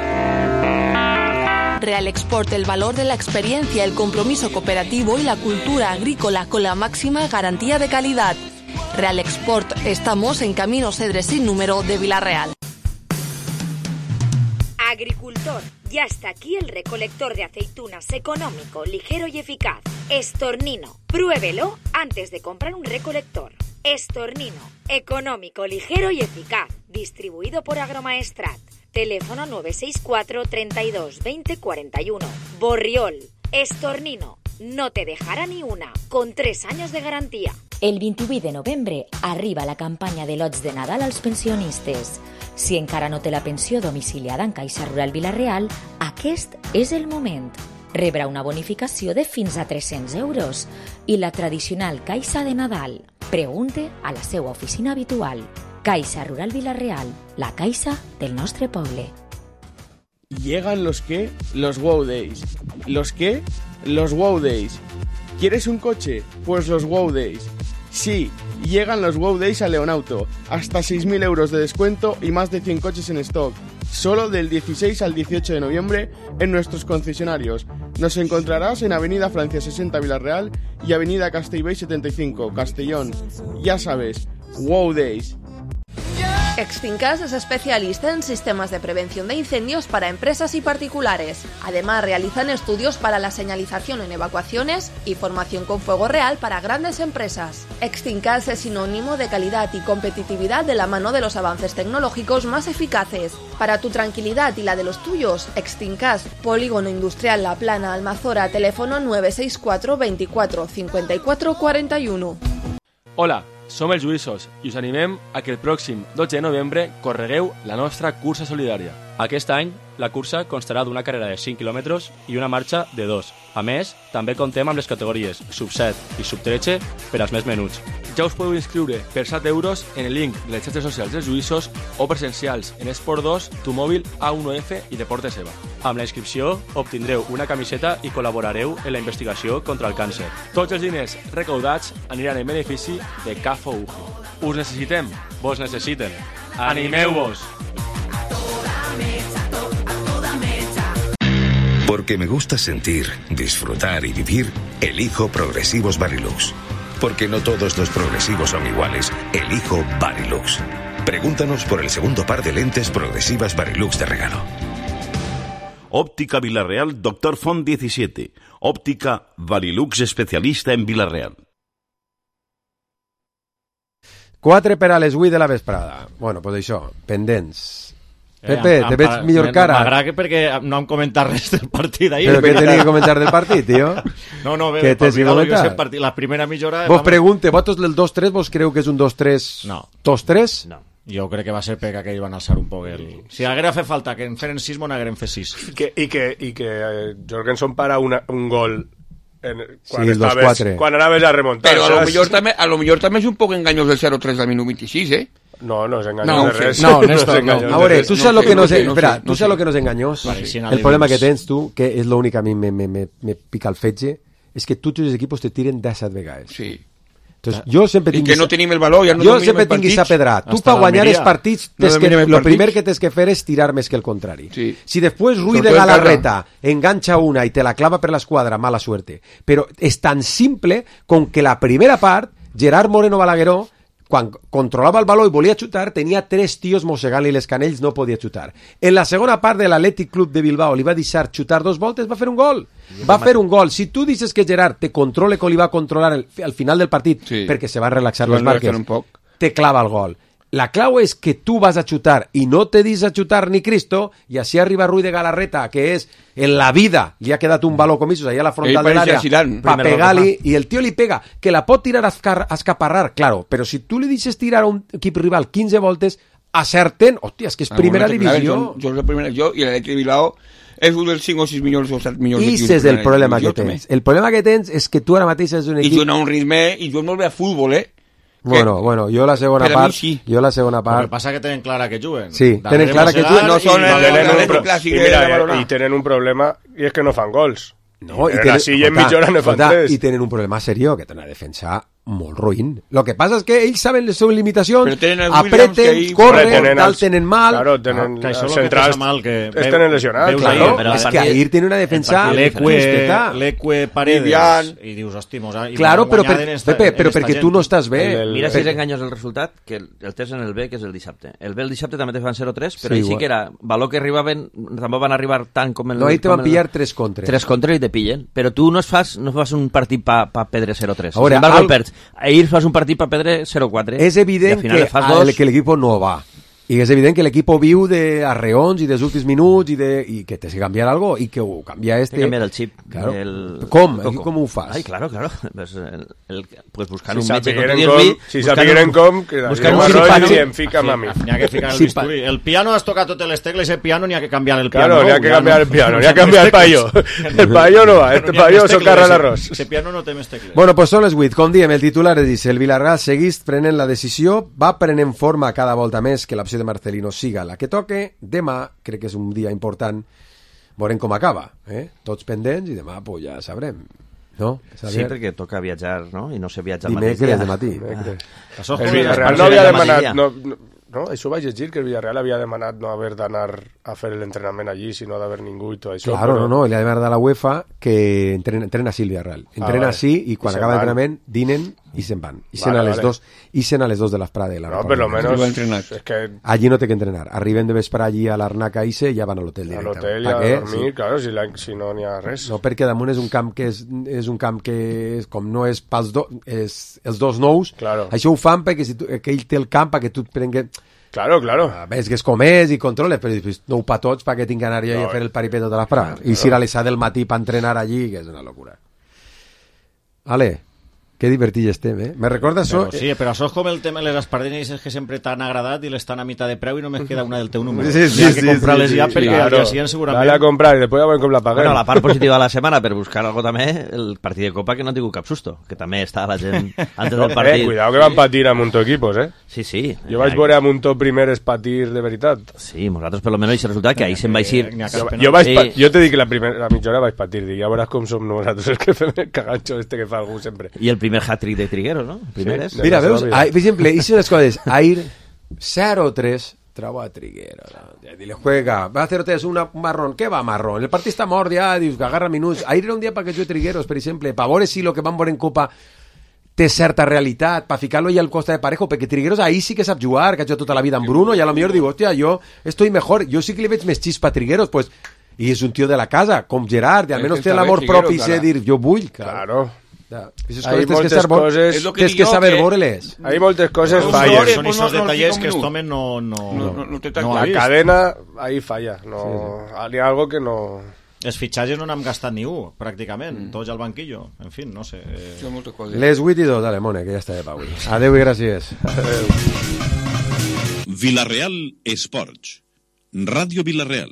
Real Export, el valor de la experiencia, el compromiso cooperativo y la cultura agrícola con la máxima garantía de calidad. Real Export, estamos en Camino Cedres sin número de Villarreal. Agricultor, ya está aquí el recolector de aceitunas económico, ligero y eficaz. Estornino, pruébelo antes de comprar un recolector. Estornino, económico, ligero y eficaz. Distribuido por Agromaestrat. Teléfono nueve seis cuatro, treinta y dos, veinte, cuarenta y uno. Borriol, Estornino, no te dejará ni una, con tres años de garantía. El vint-i-vuit de novembre arriba la campanya de lots de Nadal als pensionistes. Si encara no té la pensió domiciliada en Caixa Rural Vilareal, aquest és el moment. Rebrà una bonificació de fins a tres-cents euros i la tradicional Caixa de Nadal. Pregunte a la seva oficina habitual. Caixa Rural Vilareal, la caixa del nostre poble. Llegan los que, los Wow Days. ¿Los qué? Los Wow Days. ¿Quieres un coche? Pues los Wow Days. Sí, llegan los Wow Days a Leonauto. Hasta seis mil euros de descuento y más de cien coches en stock. Solo del dieciséis al dieciocho de noviembre en nuestros concesionarios. Nos encontrarás en Avenida Francia sesenta Villarreal y Avenida Castellbell setenta y cinco, Castellón. Ya sabes, Wow Days. Extincas es especialista en sistemas de prevención de incendios para empresas y particulares. Además, realizan estudios para la señalización en evacuaciones y formación con fuego real para grandes empresas. Extincas es sinónimo de calidad y competitividad de la mano de los avances tecnológicos más eficaces. Para tu tranquilidad y la de los tuyos, Extincas, Polígono Industrial La Plana, Almazora, teléfono nueve seis cuatro veinticuatro cincuenta y cuatro cuarenta y uno. Hola, som els Lluïssos i us animem a que el pròxim dotze de novembre corregueu la nostra cursa solidària. Aquest any, la cursa constarà d'una carrera de cinc quilòmetres i una marxa de dos. A més, també contem amb les categories sub set i sub tretze per als més menuts. Ja us podeu inscriure per set euros en el link de les xarxes socials dels Lluïssos o presencials en Esport dos, Tu Mòbil, A uno F i Deportes Eva. Amb la inscripció obtindreu una camiseta i col·laborareu en la investigació contra el càncer. Tots els diners recaudats aniran en benefici de K F U G. Us necessitem, vos necessiten. Animeu-vos! Porque me gusta sentir, disfrutar y vivir, elijo Progresivos Varilux. Porque no todos los progresivos son iguales, elijo Varilux. Pregúntanos por el segundo par de lentes progresivas Varilux de regalo. Óptica Villarreal, Doctor Font diecisiete. Óptica Varilux, especialista en Villarreal. Quatre per a les vuit de la vesprada. Bueno, pues això, pendents. Pepe, Eh, te veig em- millor em- cara. M'agrada que perquè no hem comentat res del partit d'ahir. Però què tenia que comentar del partit, tio? No, no, bé, Què tens que olvidar-lo, jo comentar? sé partit, la primera mitja hora... Vos pregunte, vosaltres del dos tres, vos creu que és un dos tres... No. dos tres? No. Jo crec que va ser perquè aquell van alçar un poc el... Si haguera fet falta que en feren sis, mon hagueren fet sis. Que, I que, i que eh, Jorgensen para una, un gol en, quan, Sí, el dos estaves, quatre. quan anaves a remuntar. Però a lo saps? millor també, a lo millor també és un poc enganyós el zero tres del minut vint-i-sis, eh? No, no és enganyós No, de res. sí. No, és Néstor, no. enganyós A de veure, res. tu saps lo sé, que no no sé, sé, no espera, sé, tu no saps lo sé. que no és enganyós? Vale, si El analitzes- problema que tens tu, que és l'únic que a mi me, me, me, me pica el fetge, és que tots els equipos te tiren disset vegades. Sí. Entonces, jo sempre I tinc que no tenim el valor, ja no jo dominem sempre els tinc partits. aquesta pedra. Tu Hasta per guanyar l'Almeria. els partits, No tens que, dominem els lo partits. primer que tens que fer és tirar més que el contrari. Sí. Si després Ruiz de Sobre todo en Galarreta engancha una i te la clava per l'esquadra, mala suerte. Però és tan simple com que la primera part, Gerard Moreno Balagueró, quan controlava el baló i volia xutar, tenia tres tios mossegant-li les canells, no podia xutar. En la segona part de l'Atlètic Club de Bilbao li va deixar xutar dos voltes, va fer un gol. Va fer un gol. Si tu dices que Gerard te controle com li va controlar el, al final del partit, Sí. perquè se va relaxar Se va les marques, relaxar un poc. te clava el gol. La clau és que tu vas a xutar i no te dis a xutar ni Cristo, i així arriba Ruiz de Galarreta, que és en la vida li ha quedat un baló com això, allà a la frontal Ell de pareixia l'àrea, Zidane, pa primer pegar-li, i el tio li pega, que la pot tirar a, escar, a escaparrar, claro, però si tu li deixes tirar a un equip rival quinze voltes, acerten, hòstia, és que és primera Ah, bueno, claro, divisió. Yo, yo, la primera, yo y el Athletic de Bilbao és un dels cinc o sis milions o set milions I ese és el problema que tens. El problema que tens és que tu ara mateix és un I equip... juega a un ritme, i juega molt bé a futbol, eh? Bueno, bueno, jo la segona Per a mi part... sí. Jo la segona El que part... passa que tenen clara que juguen. Sí, Darrere tenen clara que mossegar juguen. No són i- el- Tenen un l'Atlètic pro- clàssic i de mira, Badalona. i tenen un problema, i és que no fan gols. No, i Tenen tenen, així i en escolta, mitja hora ne fan escolta, tres. i tenen un problema seriós, que tenen una defensa molt ruïn. Lo que passa és que ells saben les seves limitacions, Però tenen els Williams apreten, que ahí- corren, Tenen tal, els- tenen mal... Claro, tenen Que això els és el que centrals, passa mal, que es ve- tenen lesionats. veus Claro, ahir, però és el que partit- ahir tiene una defensa L'Eque, justeta. l'Eque Paredes, Vivian. i dius, hosti, mos ha, i Claro, mos però, guanyat per, en esta- Pepe, en però esta perquè gent. tu no estàs bé. El- el- Mira si Per- és enganyós el resultat, que el, el test en el B, que és el dissabte. El B el dissabte també te fan zero tres, però Sí, sí, sí igual. que era valor que arribaven, tampoc van arribar tant com el... No, ahí te com van el- pillar tres contres. Tres contres i te pillen. Però tu no es fas, no fas un partit pa, pa perdre zero tres. A veure, Sin embargo, al- el perds. Ahir fas un partit pa perdre zero quatre. És evident I al final que, le fas el, dos. que l'equip no va. I és evident que l'equip viu de arreons i dels últims minuts i, de, i que tens que canviar algo i que ho canvia este... Té que canviar el xip. Claro. El... Com? Coco. Aquí com ho fas? Ai, claro, claro. Pues, el, el, pues buscant Si un metge, sapigueren com tu dius, com- si sapigueren com, que buscant Darío un Marroy cirujano. i em fica a mi. N'hi ha que ficar el Sí, bisturi. El piano has tocat totes les tecles, el piano n'hi ha que canviar el piano. Claro, n'hi ha nou, que ja canviar no- el piano, no n'hi ha que té canviar el més paio. tecles. El paio no va, este n'hi ha paio més s'ho tecles, carra ese- l'arròs. ese piano no té més tecles. Bueno, pues són les vuit. Com diem, el titular és dir, el Villarreal seguís prenent la decisió, va prenent forma cada volta més que l'opció de Marcelino siga la que toque. Demà, crec que és un dia important, veurem com acaba. Eh? Tots pendents i demà pues, ja sabrem. No? Sí, perquè toca viatjar, no? I no se viatja el Dimecres mateix dia. de matí. Dimecres. Això El és Villarreal el no havia mateix demanat... dia. No, no, no, això vaig llegir, que el Villarreal havia demanat no haver d'anar a fer l'entrenament allí, sinó d'haver ningú i tot això. Claro, però- no, no, li ha demanat a la UEFA que entrena, entrena així el Villarreal. Entrena vale. així i quan I se'n acaba van. l'entrenament dinen y se van. Y se Vale, a les vale. dos, y se a les dos de las Prades. No, per lo menos es que Allí no té que entrenar. Arriben de vespre allí a l'Arnaca i se i ja van a l'hotel a directament. l'hotel i Pa a què? dormir, Sí. claro, si, la, si no n'hi ha res. No, perquè damunt és un camp que és, és un camp que és, com no és pels do, és, els dos nous, Claro. això ho fan perquè si tu, que ell té el camp perquè tu et prengues... Claro, claro. Ves que és com és i controles, però després no ho pa tots perquè tinc que anar jo No, a fer el paripé tota l'esprà. claro, I si era a les set del matí per entrenar allí, que és una locura. Ale, que divertit estem, eh? Me recorda això... Però sí, però això és com el tema de les espardenyes que sempre t'han agradat i l'estan a mitad de preu i només queda una del teu número. Sí, sí, Hi ha que sí, comprar-les sí, ja sí, perquè claro. al dia siguiente segurament... Dale a comprar i després ja veurem com la paguem. Bueno, la part positiva de la setmana, per buscar algo també, el partit de Copa que no ha tingut cap susto, que també està la gent antes del partit. Eh, cuidado que van patir a Muntó equipos, eh? Sí, sí. Jo vaig veure a Muntó primeres patir de veritat. Sí, nosaltres per lo menos aquest resultat que ahí se'n va eixir. Jo, jo, vaig pa jo te dic que la primera la mitja hora vaig patir, dic, ja veuràs com som nosaltres els que fem el caganxo este que fa algú sempre. I el primer hat-trick de Trigueros, no? El primer és. Mira, veus? Ahí, per exemple, hice unas cosas. Air cero tres trabo a Triguero. ¿no? Y le juega, va a cero tres, una, un marrón. ¿Qué va marrón? El partit està mort ja, dius, que agarra minuts. Air era un dia perquè jo Trigueros, per exemple, pa veure si lo que van veure en Copa té certa realitat, pa ficar-lo ja al costa de Parejo, perquè Trigueros ahí sí que sap jugar, que ha jugat tota la vida amb Bruno, i a lo millor diu, hòstia, jo estoy mejor, jo sí que li veig més xispa a Trigueros, pues, i és un tio de la casa, com Gerard, i almenys té l'amor propi i sé dir, jo vull, claro. Ja. Aquestes Hay coses tens que, moltes saber, coses... tens que saber veure-les. Hay moltes coses Son falles. Son esos detalles que este home no, no, No, no, no té tan no ha La vist. cadena ahí falla. No, Hi ha algo que no... Els fitxatges no n'hem gastat ni un, pràcticament. Mm. Tots al banquillo. En fin, no sé. Eh... Les vuit i dos, dale, Mone, que ja està de pau. Adéu i gràcies. Villarreal Esports. Ràdio Villarreal.